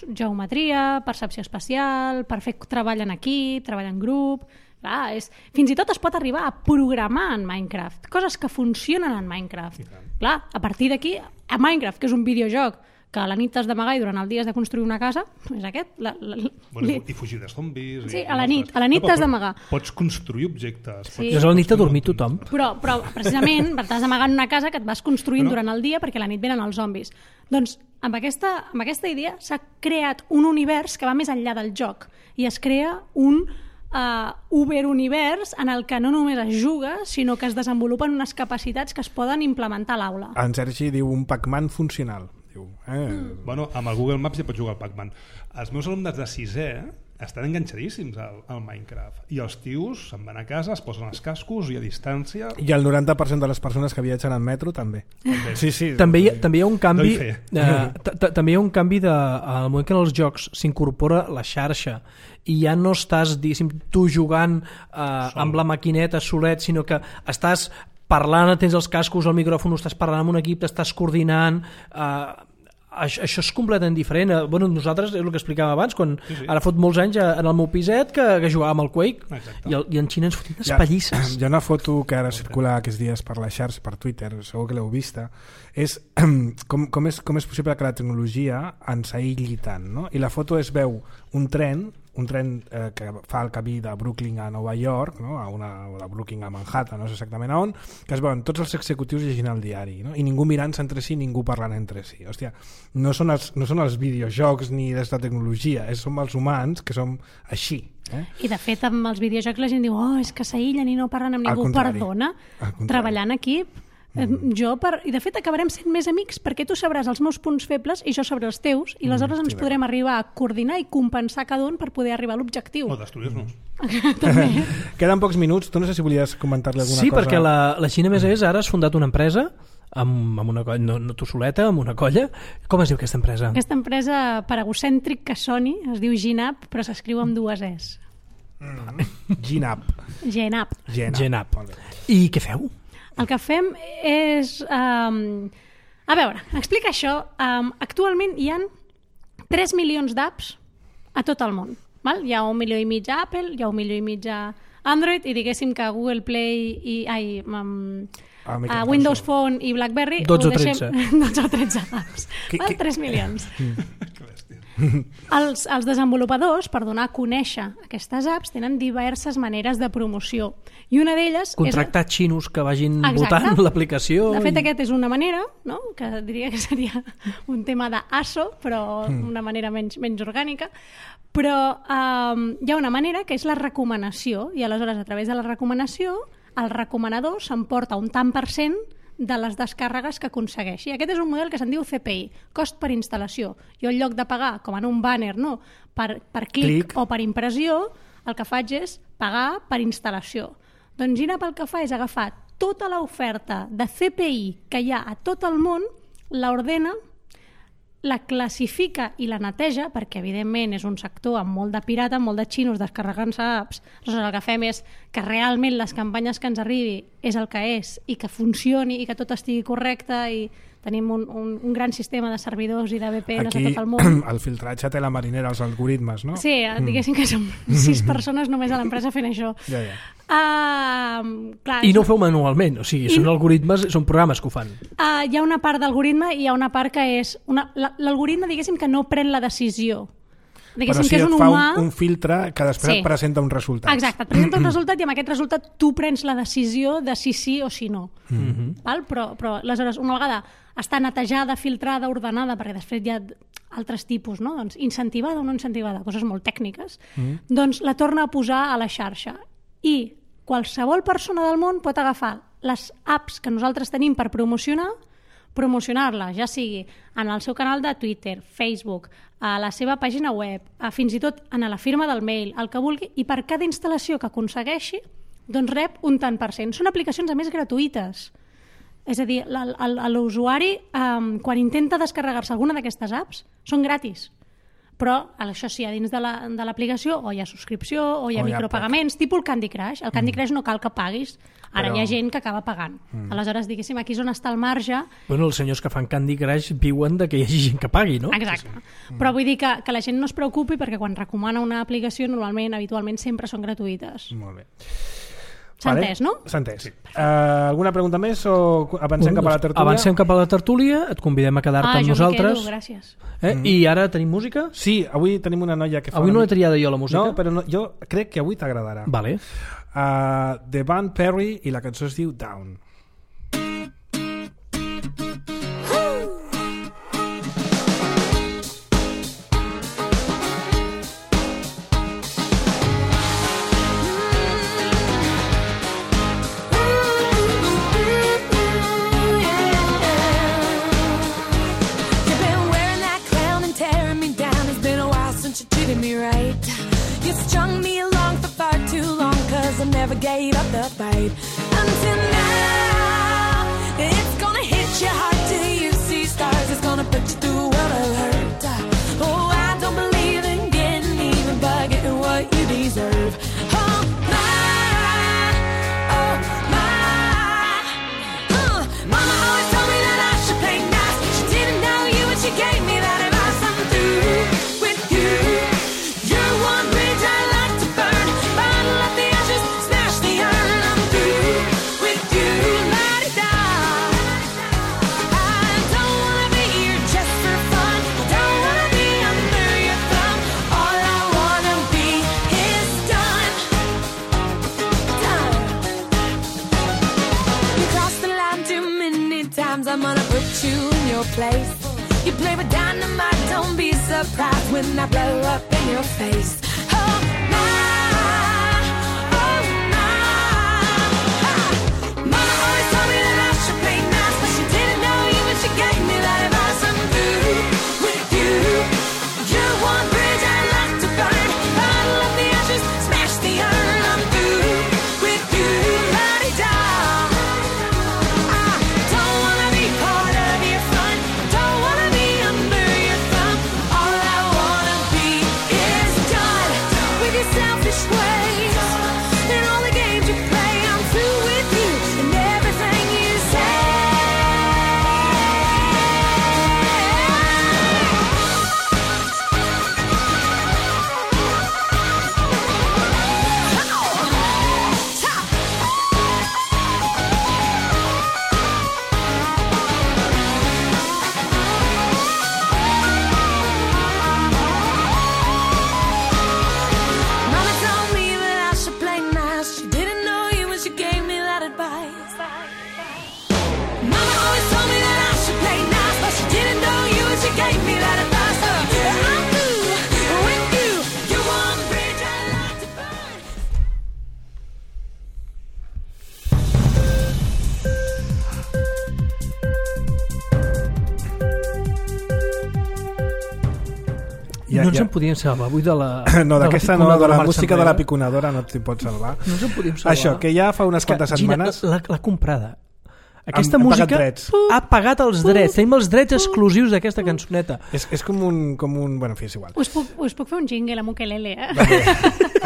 geometria, percepció espacial, per fer treball en equip, treball en grup. Clar, fins i tot es pot arribar a programar en Minecraft, coses que funcionen en Minecraft. Clar, a partir d'aquí, a Minecraft, que és un videojoc que a la nit t'has d'amagar i durant el dia has de construir una casa, és aquest. I fugir de zombis. Sí, a la nit t'has d'amagar. Pots construir objectes. Sí. A la nit t'ha dormit tothom. Però precisament t'has d'amagar en una casa que et vas construint durant el dia perquè a la nit venen els zombis. Doncs amb aquesta idea s'ha creat un univers que va més enllà del joc i es crea un Uber-univers en el que no només es juga, sinó que es desenvolupen unes capacitats que es poden implementar a l'aula. En Sergi diu un Pac-Man funcional. Bueno, amb el Google Maps ja pots jugar al Pac-Man. Els meus alumnes de 6è estan enganxadíssims al Minecraft i els tios se'n van a casa, es posen els cascos i a distància... I el 90% de les persones que viatgen en metro també. Sí. També hi ha un canvi també hi ha un canvi al moment que en els jocs s'incorpora la xarxa i ja no estàs, diguéssim, tu jugant amb la maquineta solet, sinó que estàs parlant, tens els cascos, el micròfon, estàs parlant amb un equip, t'estàs coordinant, això és completament diferent. Bueno, nosaltres, és el que explicàvem abans, quan ara fot molts anys en el meu piset que jugàvem al Quake i en Xina ens fotim unes pallisses. Hi ha una foto que ara circula aquests dies per la xarxa, per Twitter, segur que l'heu vista, és com és possible que la tecnologia ens aïlli tant, no? I la foto es veu un tren un tren que fa el camí de Brooklyn a Nova York, no? O de Brooklyn a Manhattan, no sé exactament a on, que es veuen tots els executius llegint el diari, no? I ningú mirant-se entre si, ningú parlant entre si. Hòstia, no són els videojocs ni des de tecnologia, som els humans que som així. I de fet amb els videojocs la gent diu és que s'aïllen i no parlen amb ningú. Perdona, treballant en equip i de fet acabarem sent més amics perquè tu sabràs els meus punts febles i jo sabré els teus i aleshores ens podrem arribar a coordinar i compensar cada un per poder arribar a l'objectiu. O destruir-nos. Queden pocs minuts, tu no sé si volies comentar-li alguna cosa. Sí, perquè la Xina més ara has fundat una empresa amb una colla, no tu soleta, amb una colla. Com es diu aquesta empresa? Aquesta empresa per egocèntric que soni es diu Ginap, però s'escriu amb 2 Es. Ginap. I què feu? El que fem és... a veure, explica això. Actualment hi ha 3 milions d'apps a tot el món. Val? Hi ha 1,5 milió a Apple, hi ha 1,5 milió a Android i diguéssim que Google Play i Windows Phone i BlackBerry 12 o 13 12 o 13 apps. 3 milions. Els desenvolupadors, per donar a conèixer aquestes apps, tenen diverses maneres de promoció i una d'elles contractar xinos que vagin votant l'aplicació. De fet, aquest és una manera, no? Que diria que seria un tema d'ASO, però una manera menys orgànica, però hi ha una manera que és la recomanació i aleshores a través de la recomanació el recomanador s'emporta un tant % de les descàrregues que aconsegueixi. Aquest és un model que se'n diu CPI, cost per instal·lació. Jo en lloc de pagar, com en un banner, no, per clic o per impressió, el que faig és pagar per instal·lació. Doncs Ginap el que fa és agafar tota l'oferta de CPI que hi ha a tot el món, l'ordena, la classifica i la neteja, perquè evidentment és un sector amb molt de pirata, amb molt de xinos descarregant-se apps. Aleshores el que fem és que realment les campanyes que ens arribi és el que és i que funcioni i que tot estigui correcte i tenim un gran sistema de servidors i de VPNs a tot el món. Aquí el filtratge té la marinera, els algoritmes, no? Sí, diguéssim que som 6 persones només a l'empresa fent això. Ja. Clar, I no ho feu manualment, o sigui, són algoritmes, són programes que ho fan. Hi ha una part d'algoritme i hi ha una part que és... L'algoritme, diguéssim, que no pren la decisió. Però sí, et fa un filtre que després et presenta un resultat. Exacte, et presenta un resultat i amb aquest resultat tu prens la decisió de si sí o si no. Val? Però aleshores, una vegada està netejada, filtrada, ordenada, perquè després hi ha altres tipus, no? Doncs incentivada o no incentivada, coses molt tècniques, doncs la torna a posar a la xarxa. I qualsevol persona del món pot agafar les apps que nosaltres tenim per promocionar-la, ja sigui en el seu canal de Twitter, Facebook, a la seva pàgina web, fins i tot en la firma del mail, el que vulgui, i per cada instal·lació que aconsegueixi, doncs rep un tant per cent. Són aplicacions, a més, gratuïtes. És a dir, l'usuari, quan intenta descarregar-se alguna d'aquestes apps, són gratis. Però, això sí, a dins de l'aplicació o hi ha subscripció o hi ha micropagaments, tipus el Candy Crush. El Candy Crush no cal que paguis, ara hi ha gent que acaba pagant. Aleshores, diguéssim, aquí és on està el marge. Bueno, els senyors que fan Candy Crush viuen de que hi hagi gent que pagui, no? Exacte. Però vull dir que la gent no es preocupi perquè quan recomana una aplicació, normalment, habitualment, sempre són gratuïtes. Molt bé. S'ha entès, no? S'ha entès. Alguna pregunta més o avancem cap a la tertúlia? Avancem cap a la tertúlia, et convidem a quedar-te amb nosaltres. Jo m'hi quedo, gràcies. I ara tenim música? Sí, avui tenim una noia que fa... Avui no l'he triada jo, la música. No, però jo crec que avui t'agradarà. Vale. The Van Perry i la cançó es diu Down. Me right, you strung me along for far too long, 'cause I never gave up the fight. Until now, it's gonna hit you hard till you see stars. It's gonna put you through a world of hurt. Oh, I don't believe in getting even, but getting what you deserve. Oh my, oh my. Mama always told me that I should play nice. She didn't know you when she gave me that advice. I'm through with you. You're one bridge I like to burn. Bottle up the ashes, smash the iron. I'm through. you in your place. You play with dynamite, don't be surprised when I blow up in your face. Oh my, oh my. Mama always told me that I should play nice, but she didn't know you when she gave me that advice. I'm through with you. You're one bridge I'd like to burn. Bottle up the ashes, smash the urn. I'm through with you, la-di-da. I don't wanna be part of your fun. Don't wanna be under your thumb. All I wanna be is done with your selfish ways and all the games you play. I'm through with you and everything you say. Mama told me that I should play nice. She didn't know you when she gave me that advice. Mama always told me that I should play nice, but she didn't know you when she gave me that advice. I'm through with you. You're one bridge I'd like to burn. No ens en podíem salvar avui de la... No, d'aquesta no, de la marxa música de enrere. la piconadora no t'hi pots salvar. No ens en podíem salvar. Això, que ja fa unes quantes setmanes... Gina, l'ha comprada. Aquesta Han música pagat drets. ha pagat els drets. Tenim els drets exclusius d'aquesta cançoneta. És com un... Bueno, en fi, és igual. Us puc fer un jingle amb ukelele, eh?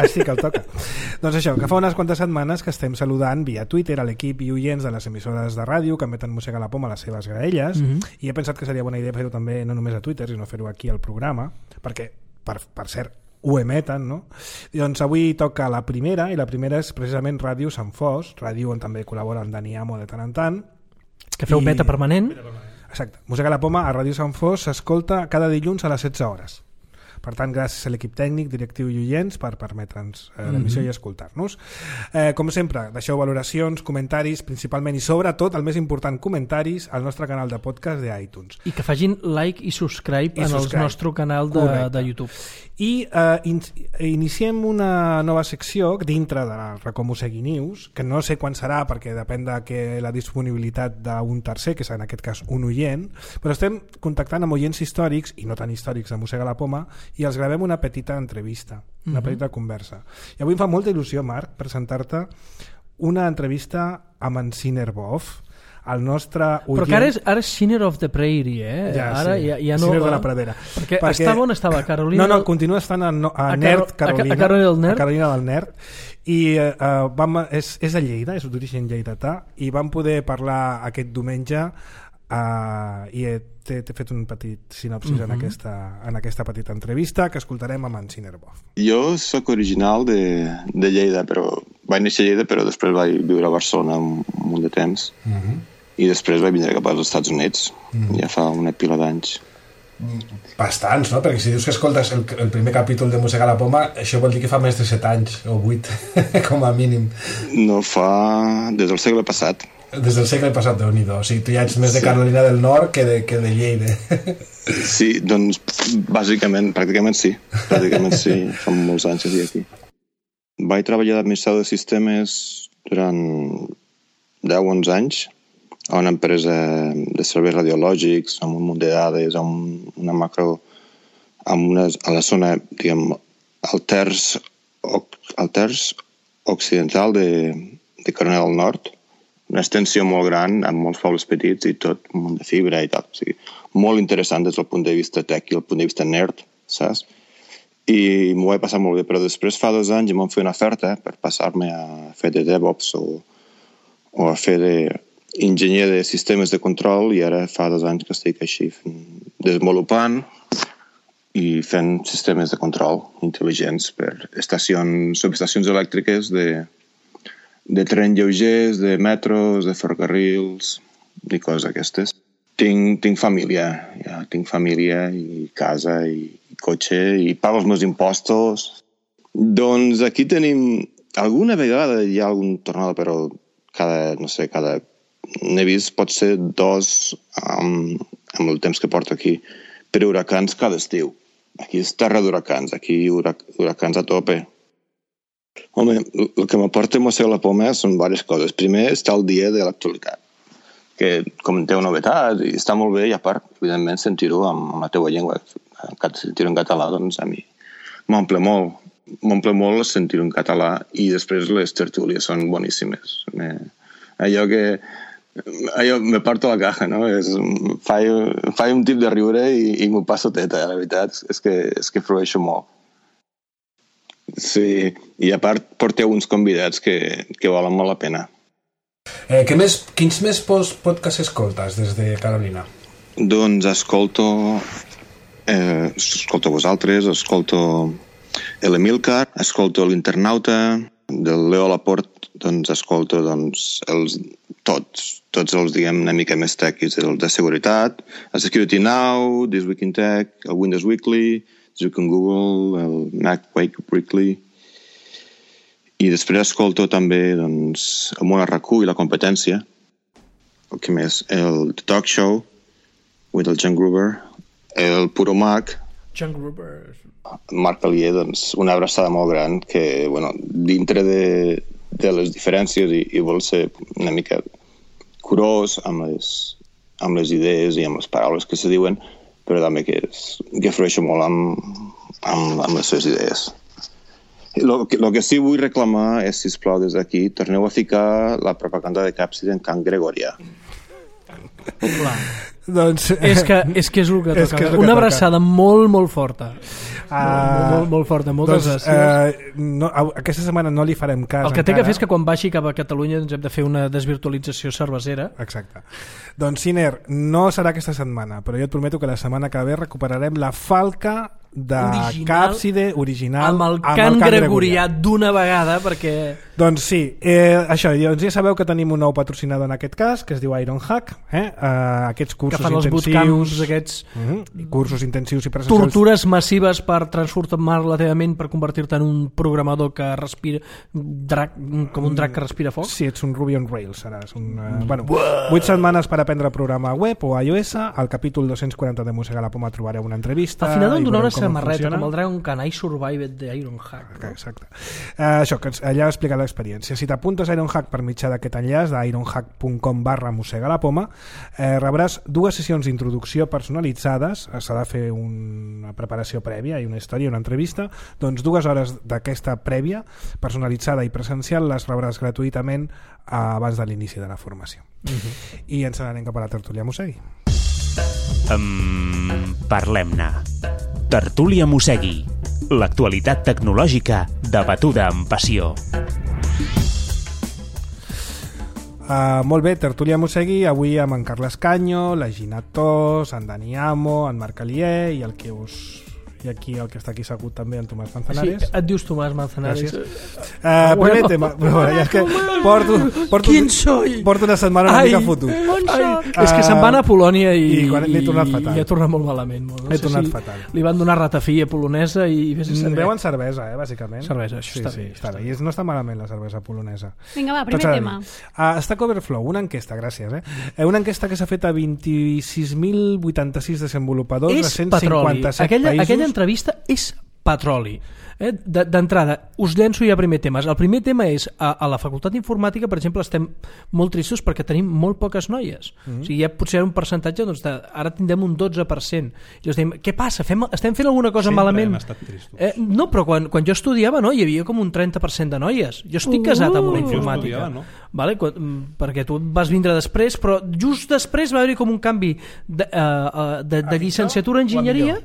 Sí que el toca. Doncs això, que fa unes quantes setmanes que estem saludant via Twitter a l'equip i oients de les emissores de ràdio que emeten Mossega la Poma a les seves graelles, i he pensat que seria bona idea fer-ho també no només a Twitter, sinó fer-ho aquí al programa, perquè, per cert, ho emeten, no? I doncs avui toca la primera, i la primera és precisament Ràdio Sant Fos, ràdio on també col·labora en Dani Amo de tant en tant. Que feu beta permanent. Exacte. Mossega la Poma a Ràdio Sant Fos s'escolta cada dilluns a les 16 hores. Per tant, gràcies a l'equip tècnic, directiu i oients per permetre'ns l'emissió i escoltar-nos. Com sempre, deixeu valoracions, comentaris, principalment i sobretot, el més important, comentaris al nostre canal de podcast de iTunes. I que facin like i subscribe en el nostre canal de YouTube. I iniciem una nova secció dintre de la Racó Mossegui News, que no sé quan serà perquè depèn de la disponibilitat d'un tercer, que és en aquest cas un oient, però estem contactant amb oients històrics i no tan històrics de Mossega la Poma i els gravem una petita entrevista, una petita conversa. I avui em fa molta il·lusió, Marc, presentar-te una entrevista amb en Sinner Boff, el nostre oient... Però que ara és Sinner of the Prairie, eh? Ja, ara sí, ja no... Sinner de la Pradera. Perquè estava on estava? Carolina... No, continua estant a Nerd Carolina. A Carolina del Nerd. A Carolina del Nerd. I és a Lleida, és d'origen lleidatà, i vam poder parlar aquest diumenge i t'he fet un petit sinopsis en aquesta petita entrevista que escoltarem amb en Sinner Boff. Jo sóc original de Lleida, però vaig néixer a Lleida, però després vaig viure a Barcelona un munt de temps i després vaig vindre cap als Estats Units ja fa una pila d'anys. Bastants, no? Perquè si dius que escoltes el primer capítol de Mossega la Poma, això vol dir que fa més de 7 anys o 8 com a mínim. No, fa des del segle passat. Des del segle passat, Déu-n'hi-do. O sigui, tu ja ets més de Carolina del Nord que de Lleida. Sí, doncs bàsicament, pràcticament sí. Fa molts anys aquí. Vaig treballar d'administrador de sistemes durant 10-11 anys a una empresa de serveis radiològics, amb un munt de dades, amb una macro, a la zona, diguem, al terç occidental de Carolina del Nord, una extensió molt gran, amb molts pobles petits i tot un munt de fibra i tal. O sigui, molt interessant des del punt de vista tech i el punt de vista nerd, saps? I m'ho vaig passar molt bé, però després fa 2 anys em van fer una oferta per passar-me a fer de DevOps o a fer d'enginyer de sistemes de control, i ara fa 2 anys que estic així desenvolupant i fent sistemes de control intel·ligents per subestacions elèctriques de tren lleugers, de metros, de ferrocarrils i coses aquestes. Tinc família, tinc família i casa i cotxe i pago els meus impostos. Doncs aquí tenim... Alguna vegada hi ha algun tornado, però cada n'he vist potser 2 amb el temps que porto aquí, per huracans cada estiu. Aquí és terra d'huracans, aquí huracans a tope. Home, el que m'aporta Mossega la Poma són diverses coses. Primer està el dia de l'actualitat, que comenteu novetats i està molt bé, i a part, evidentment, sentir-ho amb la teua llengua, sentir-ho en català, doncs a mi m'omple molt sentir-ho en català, i després les tertúlies són boníssimes. Allò me parto la caja, no? Faig un tip de riure i m'ho passo teta, la veritat és que flueixo molt. Sí, i a part porteu uns convidats que valen molt la pena. Quins més podcasts escoltes des de Carolina? Doncs escolto vosaltres, escolto l'Emilcar, escolto l'Internauta, del Leo Laporte, doncs escolto tots els, diguem, una mica més tequis, els de seguretat, el Security Now, This Week in Tech, el Windows Weekly, This Week in Google, el Mac Weekly, i després escolto també doncs, el Món RQ i la competència, el que més, el The Talk Show, with el John Gruber, el Puro Mac, John Gruber, Marc Alier, doncs, una abraçada molt gran que, bueno, dintre de les diferències i vol ser una mica curós amb les idees i amb les paraules que se diuen, però també que flueixo molt amb les seves idees. El que sí vull reclamar és, sisplau, des d'aquí, torneu a ficar la propaganda de Capsid en cant gregorià. Doncs, és que és el que toca. Una abraçada molt, molt forta. Molt forta, moltes gràcies. Aquesta setmana no li farem cas. El que té que fer és que quan baixi cap a Catalunya ens hem de fer una desvirtualització cervesera. Exacte. Doncs Siner, no serà aquesta setmana, però jo et prometo que la setmana que ve recuperarem la falca de Càpside original amb el cant gregorià d'una vegada, perquè... Doncs sí, això, doncs ja sabeu que tenim un nou patrocinador en aquest cas, que es diu Ironhack, aquests cursos que fan els intensius, aquests cursos intensius i presencials, tortures massives per transformar la teva ment, per convertir-te en un programador que respira com un drac que respira foc. Sí, ets un Ruby on Rails, seràs 8 setmanes per aprendre a programar web o iOS. Al capítol 240 de Mossega la Poma trobareu una entrevista. Al final em donarà una samarreta com el Dragon Can I Survived de Ironhack, no? Exacte. Això, que allà explica l'experiència. Si t'apuntes a Ironhack per mitjà d'aquest enllaç d'ironhack.com/mossega-la-poma, rebràs 2 sessions d'introducció personalitzades. S'ha de fer una preparació prèvia i una història, una entrevista. Doncs 2 hores d'aquesta prèvia personalitzada i presencial les rebràs gratuïtament abans de l'inici de la formació. I ens n'anem cap a la tertúlia Mossegui. Parlem-ne. Tertúlia Mossegui. L'actualitat tecnològica debatuda amb passió. Molt bé, tertúlia Mossegui, avui amb en Carles Canyo, la Gina Tos, en Dani Amo, en Marc Alier i i aquí el que està aquí segut també, en Tomàs Manzanares. Sí, et dius Tomàs Manzanares. Primer tema, és que porto una setmana una mica fotut. És que se'n van a Polònia i l'he tornat fatal. I ha tornat molt malament. He tornat fatal. Li van donar ratafia polonesa i... Beuen cervesa, bàsicament. Cervesa, això està bé. Està bé. I no està malament la cervesa polonesa. Vinga, va, primer tema. Stack Overflow, una enquesta, gràcies. Una enquesta que s'ha fet a 26.086 desenvolupadors de 157 països. Aquella entrevista és petroli. D'entrada, us llenço ja primer temes. El primer tema és, a la Facultat d'Informàtica, per exemple, estem molt tristos perquè tenim molt poques noies. O sigui, ja potser un percentatge, doncs ara tindrem un 12%. I us dèiem, què passa? Estem fent alguna cosa malament? Sempre hem estat tristos. No, però quan jo estudiava, no, hi havia com un 30% de noies. Jo estic casat amb una informàtica. Jo estudiava, no? Vale? Perquè tu vas vindre després, però just després va haver-hi com un canvi de llicenciatura en enginyeria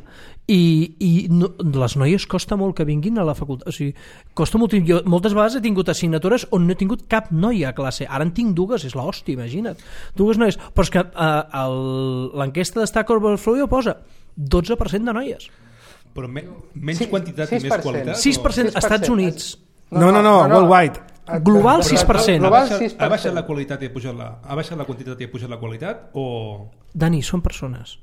i no, les noies costa molt que vinguin a la facultat, o sigui, costa molt. Jo moltes vegades he tingut assignatures on no he tingut cap noia a classe, ara en tinc 2, és l'hòstia, imagina't, 2 noies, però és que l'enquesta de Stack Overflow posa 12% de noies, però menys quantitat i més qualitat. 6% als Estats Units. No, worldwide. Global 6%. Ha baixat la qualitat i ha pujat ha baixat la quantitat i ha pujat la qualitat o... Dani, són persones.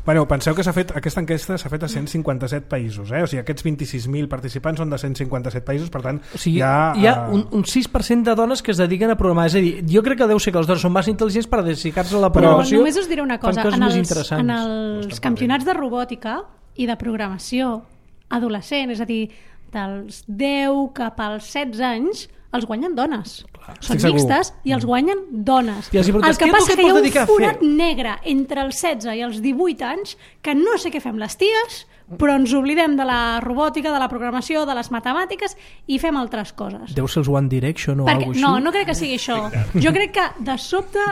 Bueno, penseu que aquesta enquesta s'ha fet a 157 països, o sigui, aquests 26.000 participants són de 157 països, per tant, o sigui, hi ha un 6% de dones que es dediquen a programar, és a dir, jo crec que deu ser que les dones són massa intel·ligents per dedicar-se a la programació. Però només us diré una cosa, en els els campionats de robòtica i de programació adolescent, és a dir, dels 10 cap als 16 anys, els guanyen dones. Són mixtes i els guanyen dones. El que passa que hi ha un forat negre entre els 16 i els 18 anys que no sé què fem les ties, però ens oblidem de la robòtica, de la programació, de les matemàtiques i fem altres coses. Deu ser els One Direction o alguna cosa així? No crec que sigui això. Jo crec que de sobte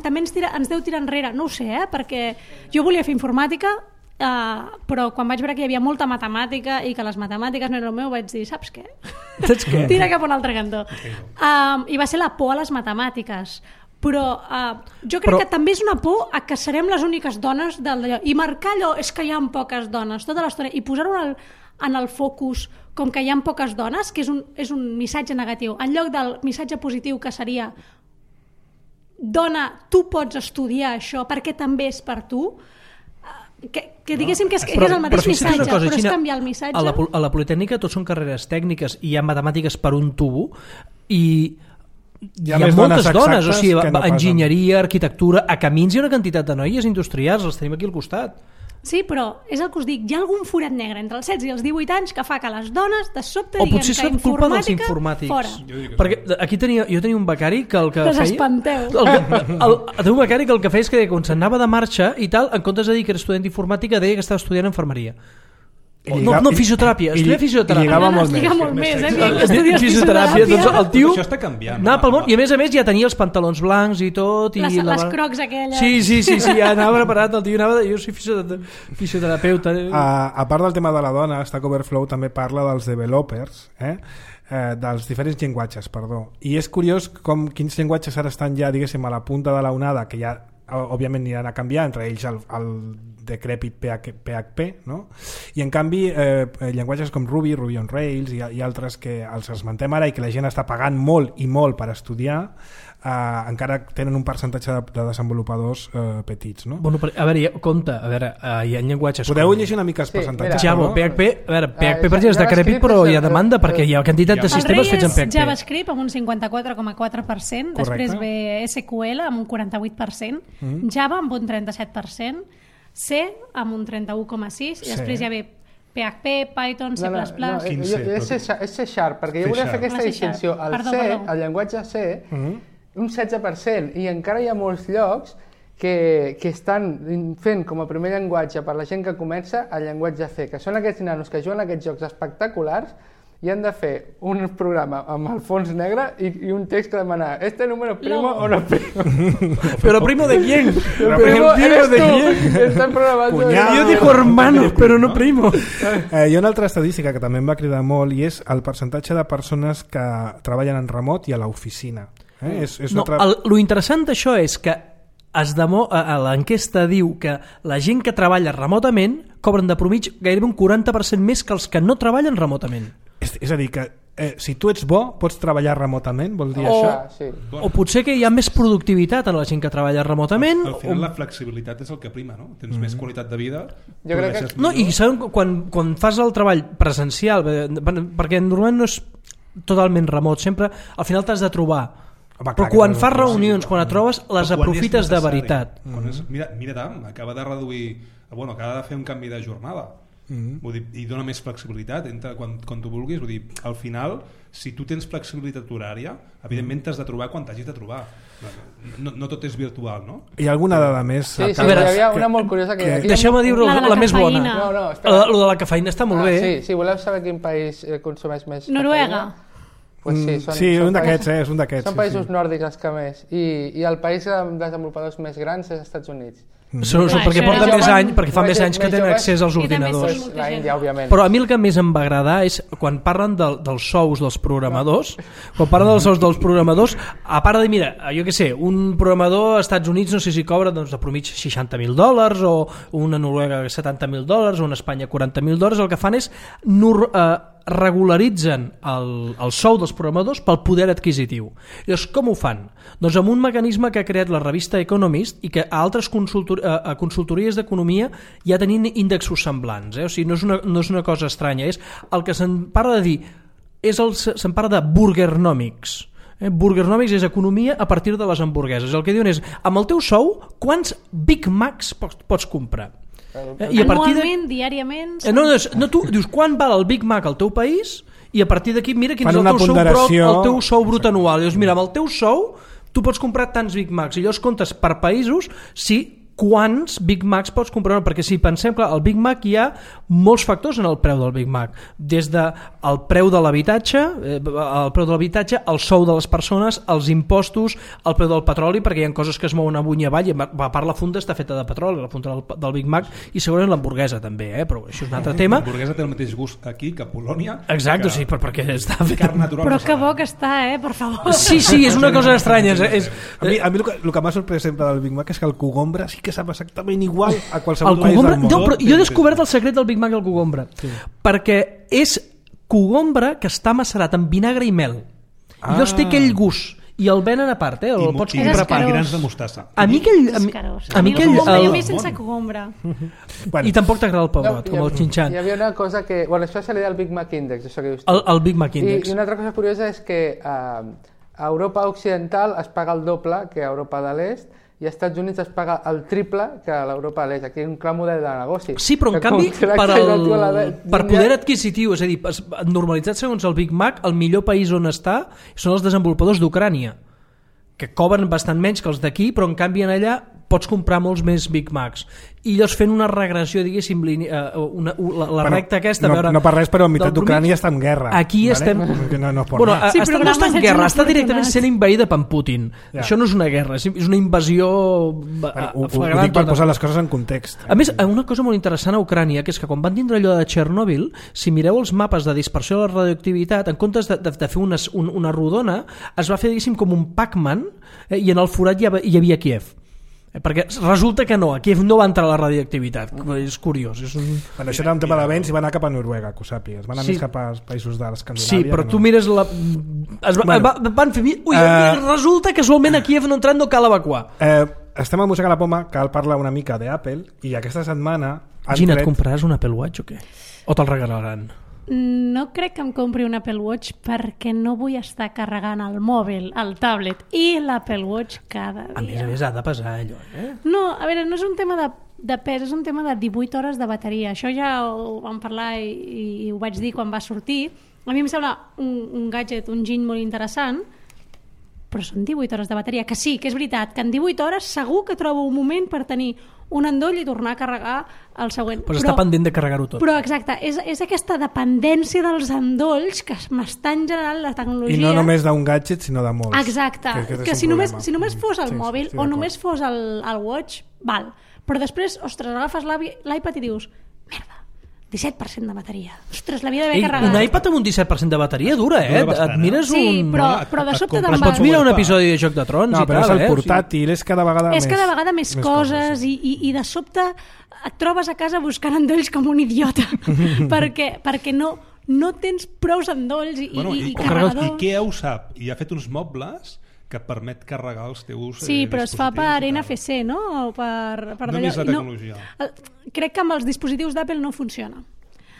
també ens deu tirar enrere, no ho sé, perquè jo volia fer informàtica, però quan vaig veure que hi havia molta matemàtica i que les matemàtiques no era el meu, vaig dir, saps què? Tira cap a un altre cantó. I va ser la por a les matemàtiques. Però jo crec que també és una por a que serem les úniques dones d'allò. I marcar allò és que hi ha poques dones tota l'estona i posar-ho en el focus com que hi ha poques dones, que és un missatge negatiu, en lloc del missatge positiu que seria dona, tu pots estudiar això perquè també és per tu, que diguéssim que és el mateix missatge, però és canviar el missatge. A la Politècnica tots són carreres tècniques i hi ha matemàtiques per un tubo i hi ha moltes dones, o sigui, enginyeria, arquitectura, a Camins hi ha una quantitat de noies industrials, els tenim aquí al costat. Sí, però és el que us dic, hi ha algun forat negre entre els 16 i els 18 anys que fa que les dones de sobte diguem que informàtica fora. Perquè aquí jo tenia un becari que el que feia... Desespanteu. Tenia un becari que el que feia és que quan s'anava de marxa i tal, en comptes de dir que era estudiant d'informàtica, deia que estava estudiant infermeria. No, fisioteràpia, estudia fisioteràpia. I lligava molt més. Fisioteràpia, doncs el tio això està canviant. Anava pel món i a més ja tenia els pantalons blancs i tot. Les crocs aquelles. Sí, ja anava preparat, el tio anava, jo soy fisioterapeuta. A part del tema de la dona, Stack Overflow també parla dels developers, dels diferents llenguatges, i és curiós com quins llenguatges ara estan ja, diguéssim, a la punta de la onada, que ja òbviament aniran a canviar, entre ells el decrèpit PHP, no? I en canvi llenguatges com Ruby on Rails i altres que els esmentem ara i que la gent està pagant molt i molt per estudiar, encara tenen un percentatge de desenvolupadors petits, no? Bueno, a veure, compte, hi ha llenguatges... Podeu llegir una mica els percentatges? Java, PHP, PHP per exemple és decrèpit, però hi ha demanda perquè hi ha quantitat de sistemes fets en PHP. El rei és JavaScript amb un 54,4%, després ve SQL amb un 48%, Java amb un 37%, C amb un 31,6% i després ja ve PHP, Python, C++... És C Sharp, perquè jo volia fer aquesta distinció. El llenguatge C, un 16%, i encara hi ha molts llocs que estan fent com a primer llenguatge per la gent que comença el llenguatge C, que són aquests nanos que juguen aquests jocs espectaculars i han de fer un programa amb el fons negre i un text que demana ¿este número es primo o no es primo? ¿Pero primo de quién? ¿Pero primo eres tú? Están programando... Yo digo hermano, pero no primo. Hi ha una altra estadística que també em va cridar molt i és el percentatge de persones que treballen en remot i a l'oficina. Lo interessant d'això és que l'enquesta diu que la gent que treballa remotament cobren de promitja gairebé un 40% més que els que no treballen remotament. És a dir, que si tu ets bo, pots treballar remotament, vol dir això? Sí. O potser que hi ha més productivitat en la gent que treballa remotament. Al final la flexibilitat és el que prima, no? Tens més qualitat de vida. Jo crec que... No, i quan fas el treball presencial, perquè normalment no és totalment remot, sempre al final t'has de trobar. Però quan fas reunions, quan et trobes, les aprofites de veritat. Mira Tam, acaba de reduir, acaba de fer un canvi de jornada. Vull dir, i dona més flexibilitat quan tu vulguis. Vull dir, al final, si tu tens flexibilitat horària, evidentment t'has de trobar quan t'hagis de trobar. No tot és virtual, no? Hi ha alguna dada més? Sí, hi havia una molt curiosa que... Deixeu-me dir la més bona. No, espera. Lo de la cafeïna està molt bé. Sí, voleu saber quin país consumeix més Noruega. Pues sí, un d'aquests, és un d'aquests. Són països nòrdics els que més. I el país amb desenvolupadors més grans és els Estats Units. Perquè porten més anys, perquè fa més anys que tenen accés als ordinadors. L'Índia, òbviament. Però a mi el que més em va agradar és quan parlen dels sous dels programadors, a part de dir, mira, jo què sé, un programador als Estats Units no sé si cobra de promitja $60,000 o una Noruega $70,000 o una Espanya $40,000, el que fan és regularitzen el sou dels programadors pel poder adquisitiu. Llavors, com ho fan? Doncs amb un mecanisme que ha creat la revista Economist i que a altres consultories d'economia ja tenim índexos semblants. O sigui, no és una cosa estranya, és el que se'n parla de dir, se'n parla de burgernomics. Burgernomics és economia a partir de les hamburgueses. El que diuen és, amb el teu sou, quants Big Macs pots comprar? I a partir anualment, diàriament... No, tu dius, quan val el Big Mac al teu país i a partir d'aquí mira quin és el teu sou brut anual. Llavors, mira, amb el teu sou tu pots comprar tants Big Macs i llavors comptes per països quants Big Macs pots comprar, perquè si pensem, clar, el Big Mac hi ha molts factors en el preu del Big Mac, des del preu de l'habitatge, el sou de les persones, els impostos, el preu del petroli, perquè hi ha coses que es mouen amunt i avall, i a part la funda està feta de petroli, la funda del Big Mac, i segurament l'hamburguesa també, però això és un altre tema. L'hamburguesa té el mateix gust aquí que a Polònia. Exacte, sí, perquè està feta. Però que bo que està, per favor. Sí, és una cosa estranya. A mi el que m'ha sorprès sempre del Big Mac és que el cogombre sí que sap exactament igual a qualsevol país del món. No, però jo he descobert el secret del Big Mac i el cogombre, perquè és cogombre que està macerat amb vinagre i mel. I llavors té aquell gust i el venen a part, el pots comprar a part. I grans de mostassa. A mi el més sense cogombre. I tampoc t'agrada el pebrot, com el xinxan. Hi havia una cosa que... Bueno, això se li da el Big Mac Index, això que dius tu. El Big Mac Index. I una altra cosa curiosa és que a Europa Occidental es paga el doble que a Europa de l'Est, i als Estats Units es paga el triple que a l'Europa de l'Est. Aquí hi ha un clar model de negoci. Sí, però en canvi per poder adquisitiu, és a dir, normalitzat segons el Big Mac, el millor país on està són els desenvolupadors d'Ucrània, que cobren bastant menys que els d'aquí, però en canvi en allà pots comprar molts més Big Macs. I llavors fent una regressió, diguéssim, la recta aquesta... No per res, però a meitat d'Ucrània està en guerra. Aquí estem... No està en guerra, està directament sent invaïda per Putin. Això no és una guerra, és una invasió flagrant. Ho dic per posar les coses en context. A més, una cosa molt interessant a Ucrània, que és que quan van tindre allò de Txernòbil, si mireu els mapes de dispersió de la radioactivitat, en comptes de fer una rodona, es va fer, diguéssim, com un Pac-Man, i en el forat hi havia Kiev. Perquè resulta que no, a Kiev no va entrar la radioactivitat, és curiós. Bueno, això era un tema de vents i va anar cap a Noruega, que ho sàpigues, van anar més cap als països de l'Escandinàvia. Sí, però tu mires van fer... Resulta que casualment a Kiev no entrant, no cal evacuar. Estem a Mossega la Poma, cal parlar una mica d'Apple, i aquesta setmana... Gina, et compraràs un Apple Watch o què? O te'l regalaran? No crec que em compri un Apple Watch perquè no vull estar carregant el mòbil, el tablet i l'Apple Watch cada dia. A més ha de pesar allò, No, a veure, no és un tema de pes, és un tema de 18 hores de bateria. Això ja ho vam parlar i ho vaig dir quan va sortir. A mi em sembla un gadget, un giny molt interessant, però són 18 hores de bateria, que sí, que és veritat, que en 18 hores segur que trobo un moment per tenir un endoll i tornar a carregar el següent. Però està pendent de carregar-ho tot. Però exacte, és aquesta dependència dels endolls que m'estan generant la tecnologia. I no només d'un gadget, sinó de molts. Exacte, que si només fos el mòbil o només fos el watch, val. Però després, ostres, agafes l'iPad i dius, merda, 17% de bateria. Ostres, l'havia d'haver carregat. Un iPad amb un 17% de bateria dura, bastant, et mires sí, però de sobte te'n vas... Pots mirar un episodi de Joc de Trons i tal, però és el portàtil, és cada vegada més... És cada vegada més coses i de sobte et trobes a casa buscant endolls com un idiota perquè no tens prous endolls i carregador. I què ho sap? I ha fet uns mobles que permet carregar els teus sí, però es fa per NFC, no? O per només la tecnologia. Crec que amb els dispositius d'Apple no funciona.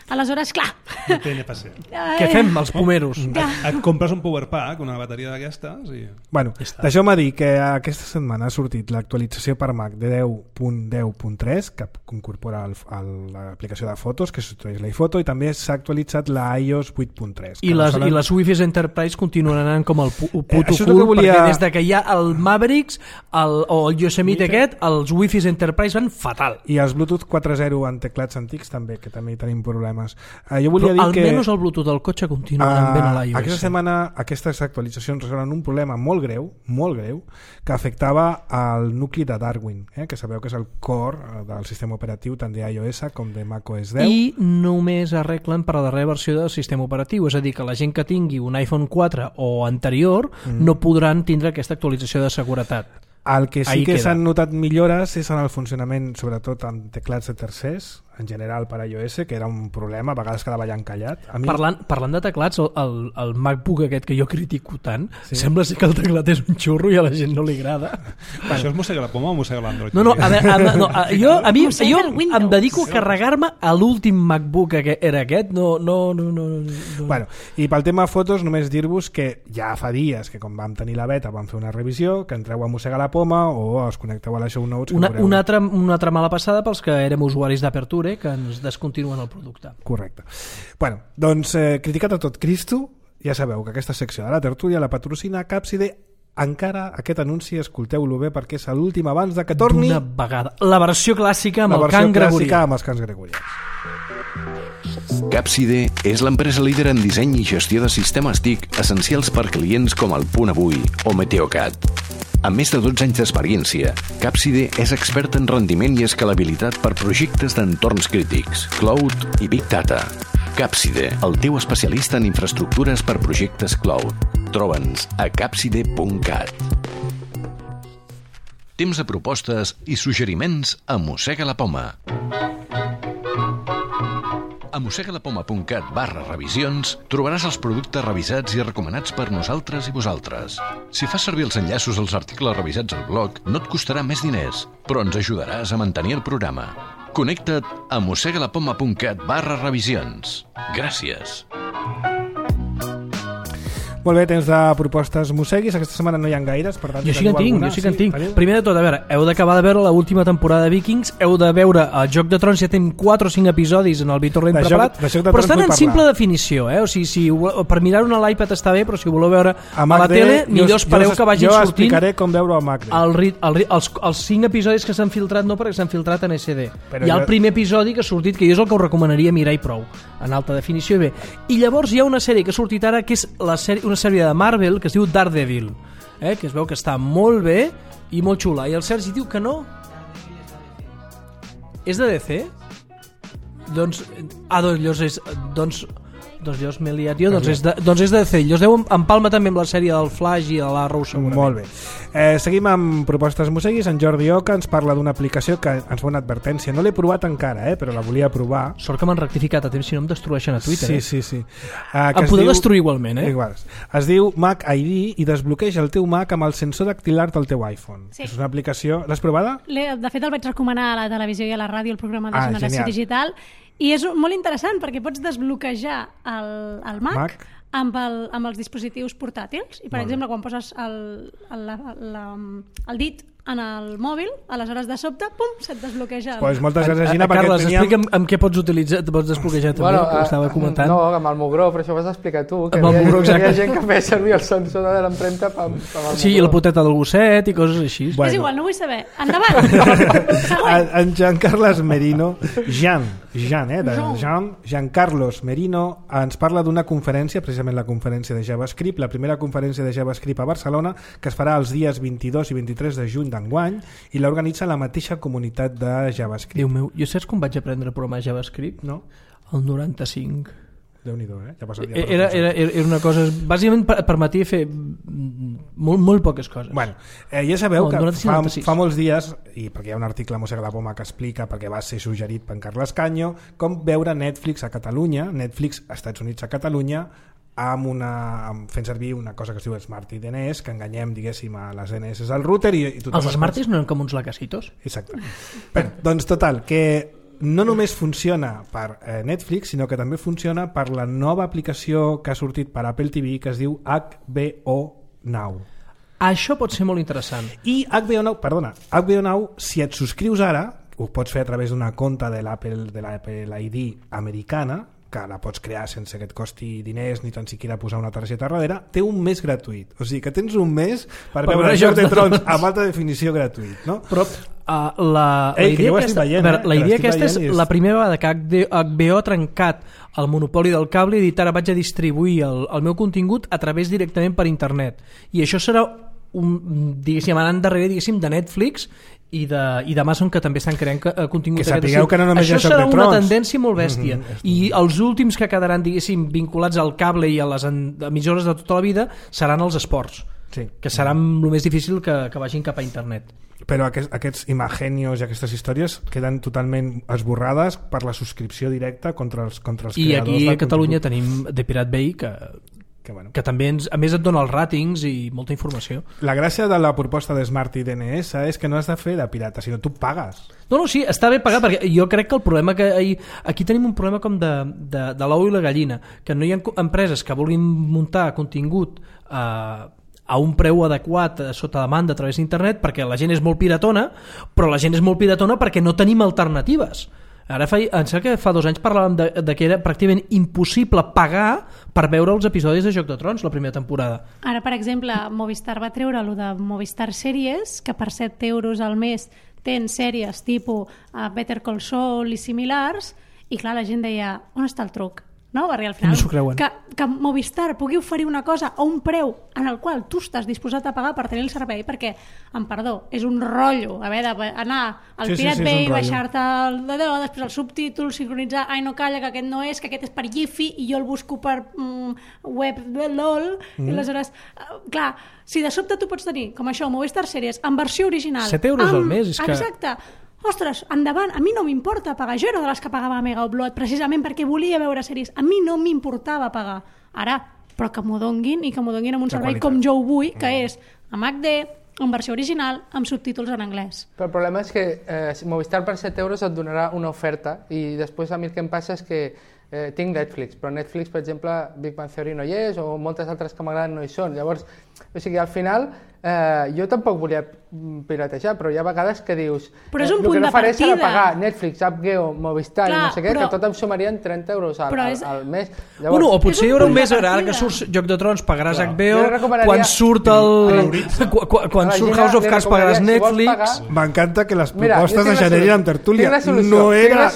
Aleshores, clar... No té NFC. Què fem, els pomeros? Et compres un power pack, una bateria d'aquestes i... Bueno, deixeu-me dir que aquesta setmana ha sortit l'actualització per Mac de 10.10.3 que incorpora l'aplicació de fotos que substitueix l'iPhoto i també s'ha actualitzat la iOS 8.3. I les Wi-Fi Enterprise continuen anant com el puto cul perquè des de que hi ha el Mavericks o el Yosemite aquest, els Wi-Fi Enterprise van fatal. I els Bluetooth 4.0 en teclats antics també, que també hi tenim problemes. Jo però volia dir que almenys el Bluetooth del cotxe continua anant ben a l'iOS. Aquesta setmana aquestes actualitzacions resolen un problema molt greu, que afectava al nucli de Darwin, que sabeu que és el core del sistema operatiu tant d'iOS com de macOS 10. I només arreglen per a la darrera versió del sistema operatiu, és a dir, que la gent que tingui un iPhone 4 o anterior no podran tindre aquesta actualització de seguretat. El que sí que s'han notat millores és en el funcionament, sobretot en teclats de tercers, en general per iOS, que era un problema, a vegades quedava allà encallat. A mi... Parlant de teclats, el MacBook aquest que jo critico tant, sembla ser que el teclat és un xurro i a la gent no li agrada. Això és mossega la poma o mossega l'Android? No, jo em dedico a carregar-me a l'últim MacBook que era aquest. No. Bueno, i pel tema fotos només dir-vos que ja fa dies que quan vam tenir la beta vam fer una revisió, que entreu a Mossega la Poma o us connecteu a la Show Notes. Una altra mala passada pels que érem usuaris d'Aperture que ens descontinuen el producte. Correcte. Bueno, doncs criticat a tot Cristo, ja sabeu que aquesta secció de la tertúlia la patrocina Capside. Encara aquest anunci escolteu-lo bé perquè és l'últim abans de que torni d'una vegada. La versió clàssica amb el cant gregorià. Amb els cants gregorians. Capside és l'empresa líder en disseny i gestió de sistemes TIC essencials per clients com el Punt Avui o Meteocat. Amb més de 12 anys d'experiència, Capside és expert en rendiment i escalabilitat per projectes d'entorns crítics, cloud i big data. Capside, el teu especialista en infraestructures per projectes cloud. Troba'ns a capside.cat. Temps de propostes i suggeriments a Mossega la Poma. A mossegalapoma.cat/revisions trobaràs els productes revisats i recomanats per nosaltres i vosaltres. Si fas servir els enllaços als articles revisats al blog, no et costarà més diners, però ens ajudaràs a mantenir el programa. Connecta't a mossegalapoma.cat/revisions. Gràcies. Molt bé, temps de propostes musseguis. Aquesta setmana no hi ha gaires, per tant... Jo sí que en tinc. Primer de tot, a veure, heu d'acabar de veure l'última temporada de Vikings, heu de veure el Joc de Trons, ja tenim 4 o 5 episodis en el Vitorrent preparat, però estan en simple definició, O sigui, per mirar-ho a l'iPad està bé, però si ho voleu veure a la tele, millor espereu que vagin sortint... Jo explicaré com veure-ho a Mac. Els 5 episodis que s'han filtrat no, perquè s'han filtrat en SD. Hi ha el primer episodi que ha sortit, que jo és el que us recomanaria mirar i prou, en alta definició i bé. I llavors hi ha una sèrie que ha sortit ara, que és una sèrie de Marvel que es diu Daredevil, que es veu que està molt bé i molt xula, i el Sergi diu que no és de DC? Doncs llavors m'he liat jo, doncs és de DC. Llavors deu empalma també amb la sèrie del Flash i de l'Arrow segurament. Molt bé. Seguim amb propostes musseguis. En Jordi Oca ens parla d'una aplicació que ens fa una advertència. No l'he provat encara, però la volia provar. Sort que m'han rectificat a temps, si no em destrueixen a Twitter. Sí. Em podeu destruir igualment, Igual. Es diu Mac ID i desbloqueja el teu Mac amb el sensor dactilar del teu iPhone. Sí. És una aplicació... L'has provada? De fet, el vaig recomanar a la televisió i a la ràdio, el programa de Generació Digital, i és molt interessant perquè pots desbloquejar el Mac amb els dispositius portàtils. I, per exemple, quan poses el dit en el mòbil, aleshores de sobte, pum, se't desbloqueja. Pues moltes gràcies, Gina. Carles, explica'm amb què pots utilitzar, pots desbloquejar també, que ho estava comentant. No, amb el Mugró, però això ho vas explicar tu, que hi havia gent que feia servir el sensor de l'empremta amb el Mugró. Sí, i la poteta del gosset i coses així. És igual, no vull saber. Endavant! En Jean Carlos Merino ens parla d'una conferència, precisament la conferència de JavaScript, la primera conferència de JavaScript a Barcelona, que es farà els dies 22 i 23 de juny d'enguany, i l'organitza la mateixa comunitat de JavaScript. Déu meu, jo saps com vaig aprendre a programar JavaScript? No? El 95. Déu-n'hi-do, Ja era una cosa... Bàsicament permetia fer molt poques coses. Bueno, ja sabeu que fa molts dies, i perquè hi ha un article a Mossega la Poma que explica, perquè va ser suggerit per en Carles Canyo, com veure Netflix a Catalunya, Netflix als Estats Units a Catalunya, fent servir una cosa que es diu Smart DNS, que enganyem, diguéssim, a les DNS al router i els Smarties no eren com uns lacasitos? Exacte. Bé, doncs total, que no només funciona per Netflix, sinó que també funciona per la nova aplicació que ha sortit per Apple TV, que es diu HBO Now. Això pot ser molt interessant. I HBO Now, si et subscrius ara, ho pots fer a través d'una compte de l'Apple ID americana, que la pots crear sense que et costi diners ni tan siquiera posar una targeta darrere, té un mes gratuït. O sigui que tens un mes per veure Joc de Trons amb alta definició gratuït, no? Però la idea aquesta és la primera vegada que HBO ha trencat el monopoli del cable i dit ara vaig a distribuir el meu contingut a través directament per internet. I això serà anant darrere de Netflix i d'Amazon, que també estan creant contingut. Que sapigueu que no només hi ha Joc de Trons. Això serà una tendència molt bèstia. I els últims que quedaran, vinculats al cable i a les emissores de tota la vida seran els esports. que serà el més difícil que vagin cap a internet. Però aquests imagenios i aquestes històries queden totalment esborrades per la subscripció directa contra els creadors. I aquí a Catalunya tenim The Pirate Bay que també a més et dona els ratings i molta informació. La gràcia de la proposta de Smart i DNS és que no has de fer de pirata, sinó tu pagues. No, sí, està bé pagar, perquè jo crec que el problema aquí tenim un problema com de l'ou i la gallina, que no hi ha empreses que vulguin muntar contingut a un preu adequat sota demanda a través d'internet, perquè la gent és molt piratona, però la gent és molt piratona perquè no tenim alternatives. Ara em sembla que fa 2 anys parlàvem de que era pràcticament impossible pagar per veure els episodis de Joc de Trons la primera temporada. Ara, per exemple, Movistar va treure el de Movistar Sèries, que per 7 euros al mes tens sèries tipus Better Call Saul i similars, i clar, la gent deia, on està el truc? No? Perquè al final no s'ho creuen. Que Movistar pugui oferir una cosa a un preu en el qual tu estàs disposat a pagar per tenir el servei, perquè, amb perdó, és un rotllo haver d'anar al Pirate Bay, baixar-te després el subtítol, sincronitzar, ai no calla, que aquest no és, que aquest és per Giphy i jo el busco per web LOL, i aleshores, clar, si de sobte tu pots tenir, com això, Movistar Sèries, en versió original 7 euros al mes, és que... Exacte. Ostres, endavant, a mi no m'importa pagar. Jo era de les que pagava Mega Upload precisament perquè volia veure sèries. A mi no m'importava pagar. Ara, però que m'ho donguin i que m'ho donguin amb un servei com jo ho vull, que és amb HD, en versió original, amb subtítols en anglès. Però el problema és que Movistar per 7 euros et donarà una oferta i després a mi el que em passa és que tinc Netflix, però Netflix, per exemple, Big Bang Theory no hi és, o moltes altres que m'agraden no hi són. Llavors, o sigui, al final, jo tampoc volia piratejar, però hi ha vegades que dius... Però és un punt de partida. El que no faré serà pagar Netflix, AppGeo, Movistar i no sé què, que tot em sumarien 30 euros al mes. Llavors, bueno, o potser hi haurà un mes, ara que surt Joc de Trons pagaràs AppGeo, quan surt quan surt House of Cards pagaràs Netflix... M'encanta que les propostes es generin amb tertúlia. No era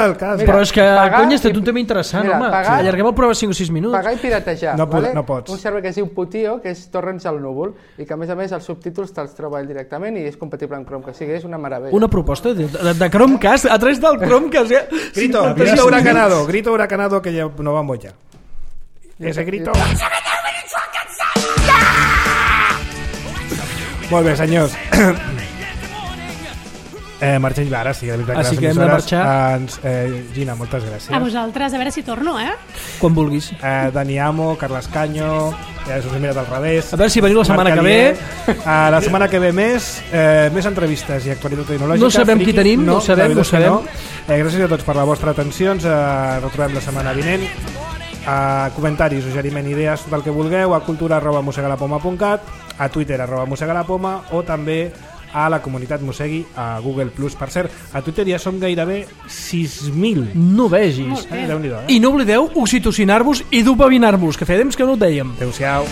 el cas. Però és que, cony, és un tema interessant, home. Allarguem el programa 5 o 6 minuts. Pagar i piratejar. No pots. Un servei que es diu Putio, que és torrents al núvol, i que a més els subtítols te'ls troba ell directament i és compatible amb Chromecast, o sigui, és una meravella. Una proposta de Chromecast, a través del Chromecast. Grito huracanado que ya no vamos ya. Ese grito... Molt bé, senyors. Marxem ja, ara sí, de veritat, que hem de marxar. Gina, moltes gràcies. A vosaltres, a veure si torno, quan vulguis. Dani Amo, Carles Canyo, us he mirat al revés. A veure si veniu la setmana que ve. La setmana que ve més entrevistes i actualitat tecnològica. No sabem qui tenim, no sabem. Gràcies a tots per la vostra atenció, ens retrobem la setmana vinent. Comentaris, suggeriment, idees, tot el que vulgueu, a cultura@mossegalapoma.cat, a Twitter @mossegalapoma, o també a la comunitat Mossegui a Google+. Per cert, a Twitter ja som gairebé 6.000. No vegis. I no oblideu oxitocinar-vos i dopavinar-vos, que feia temps que no ho dèiem. Adéu-siau.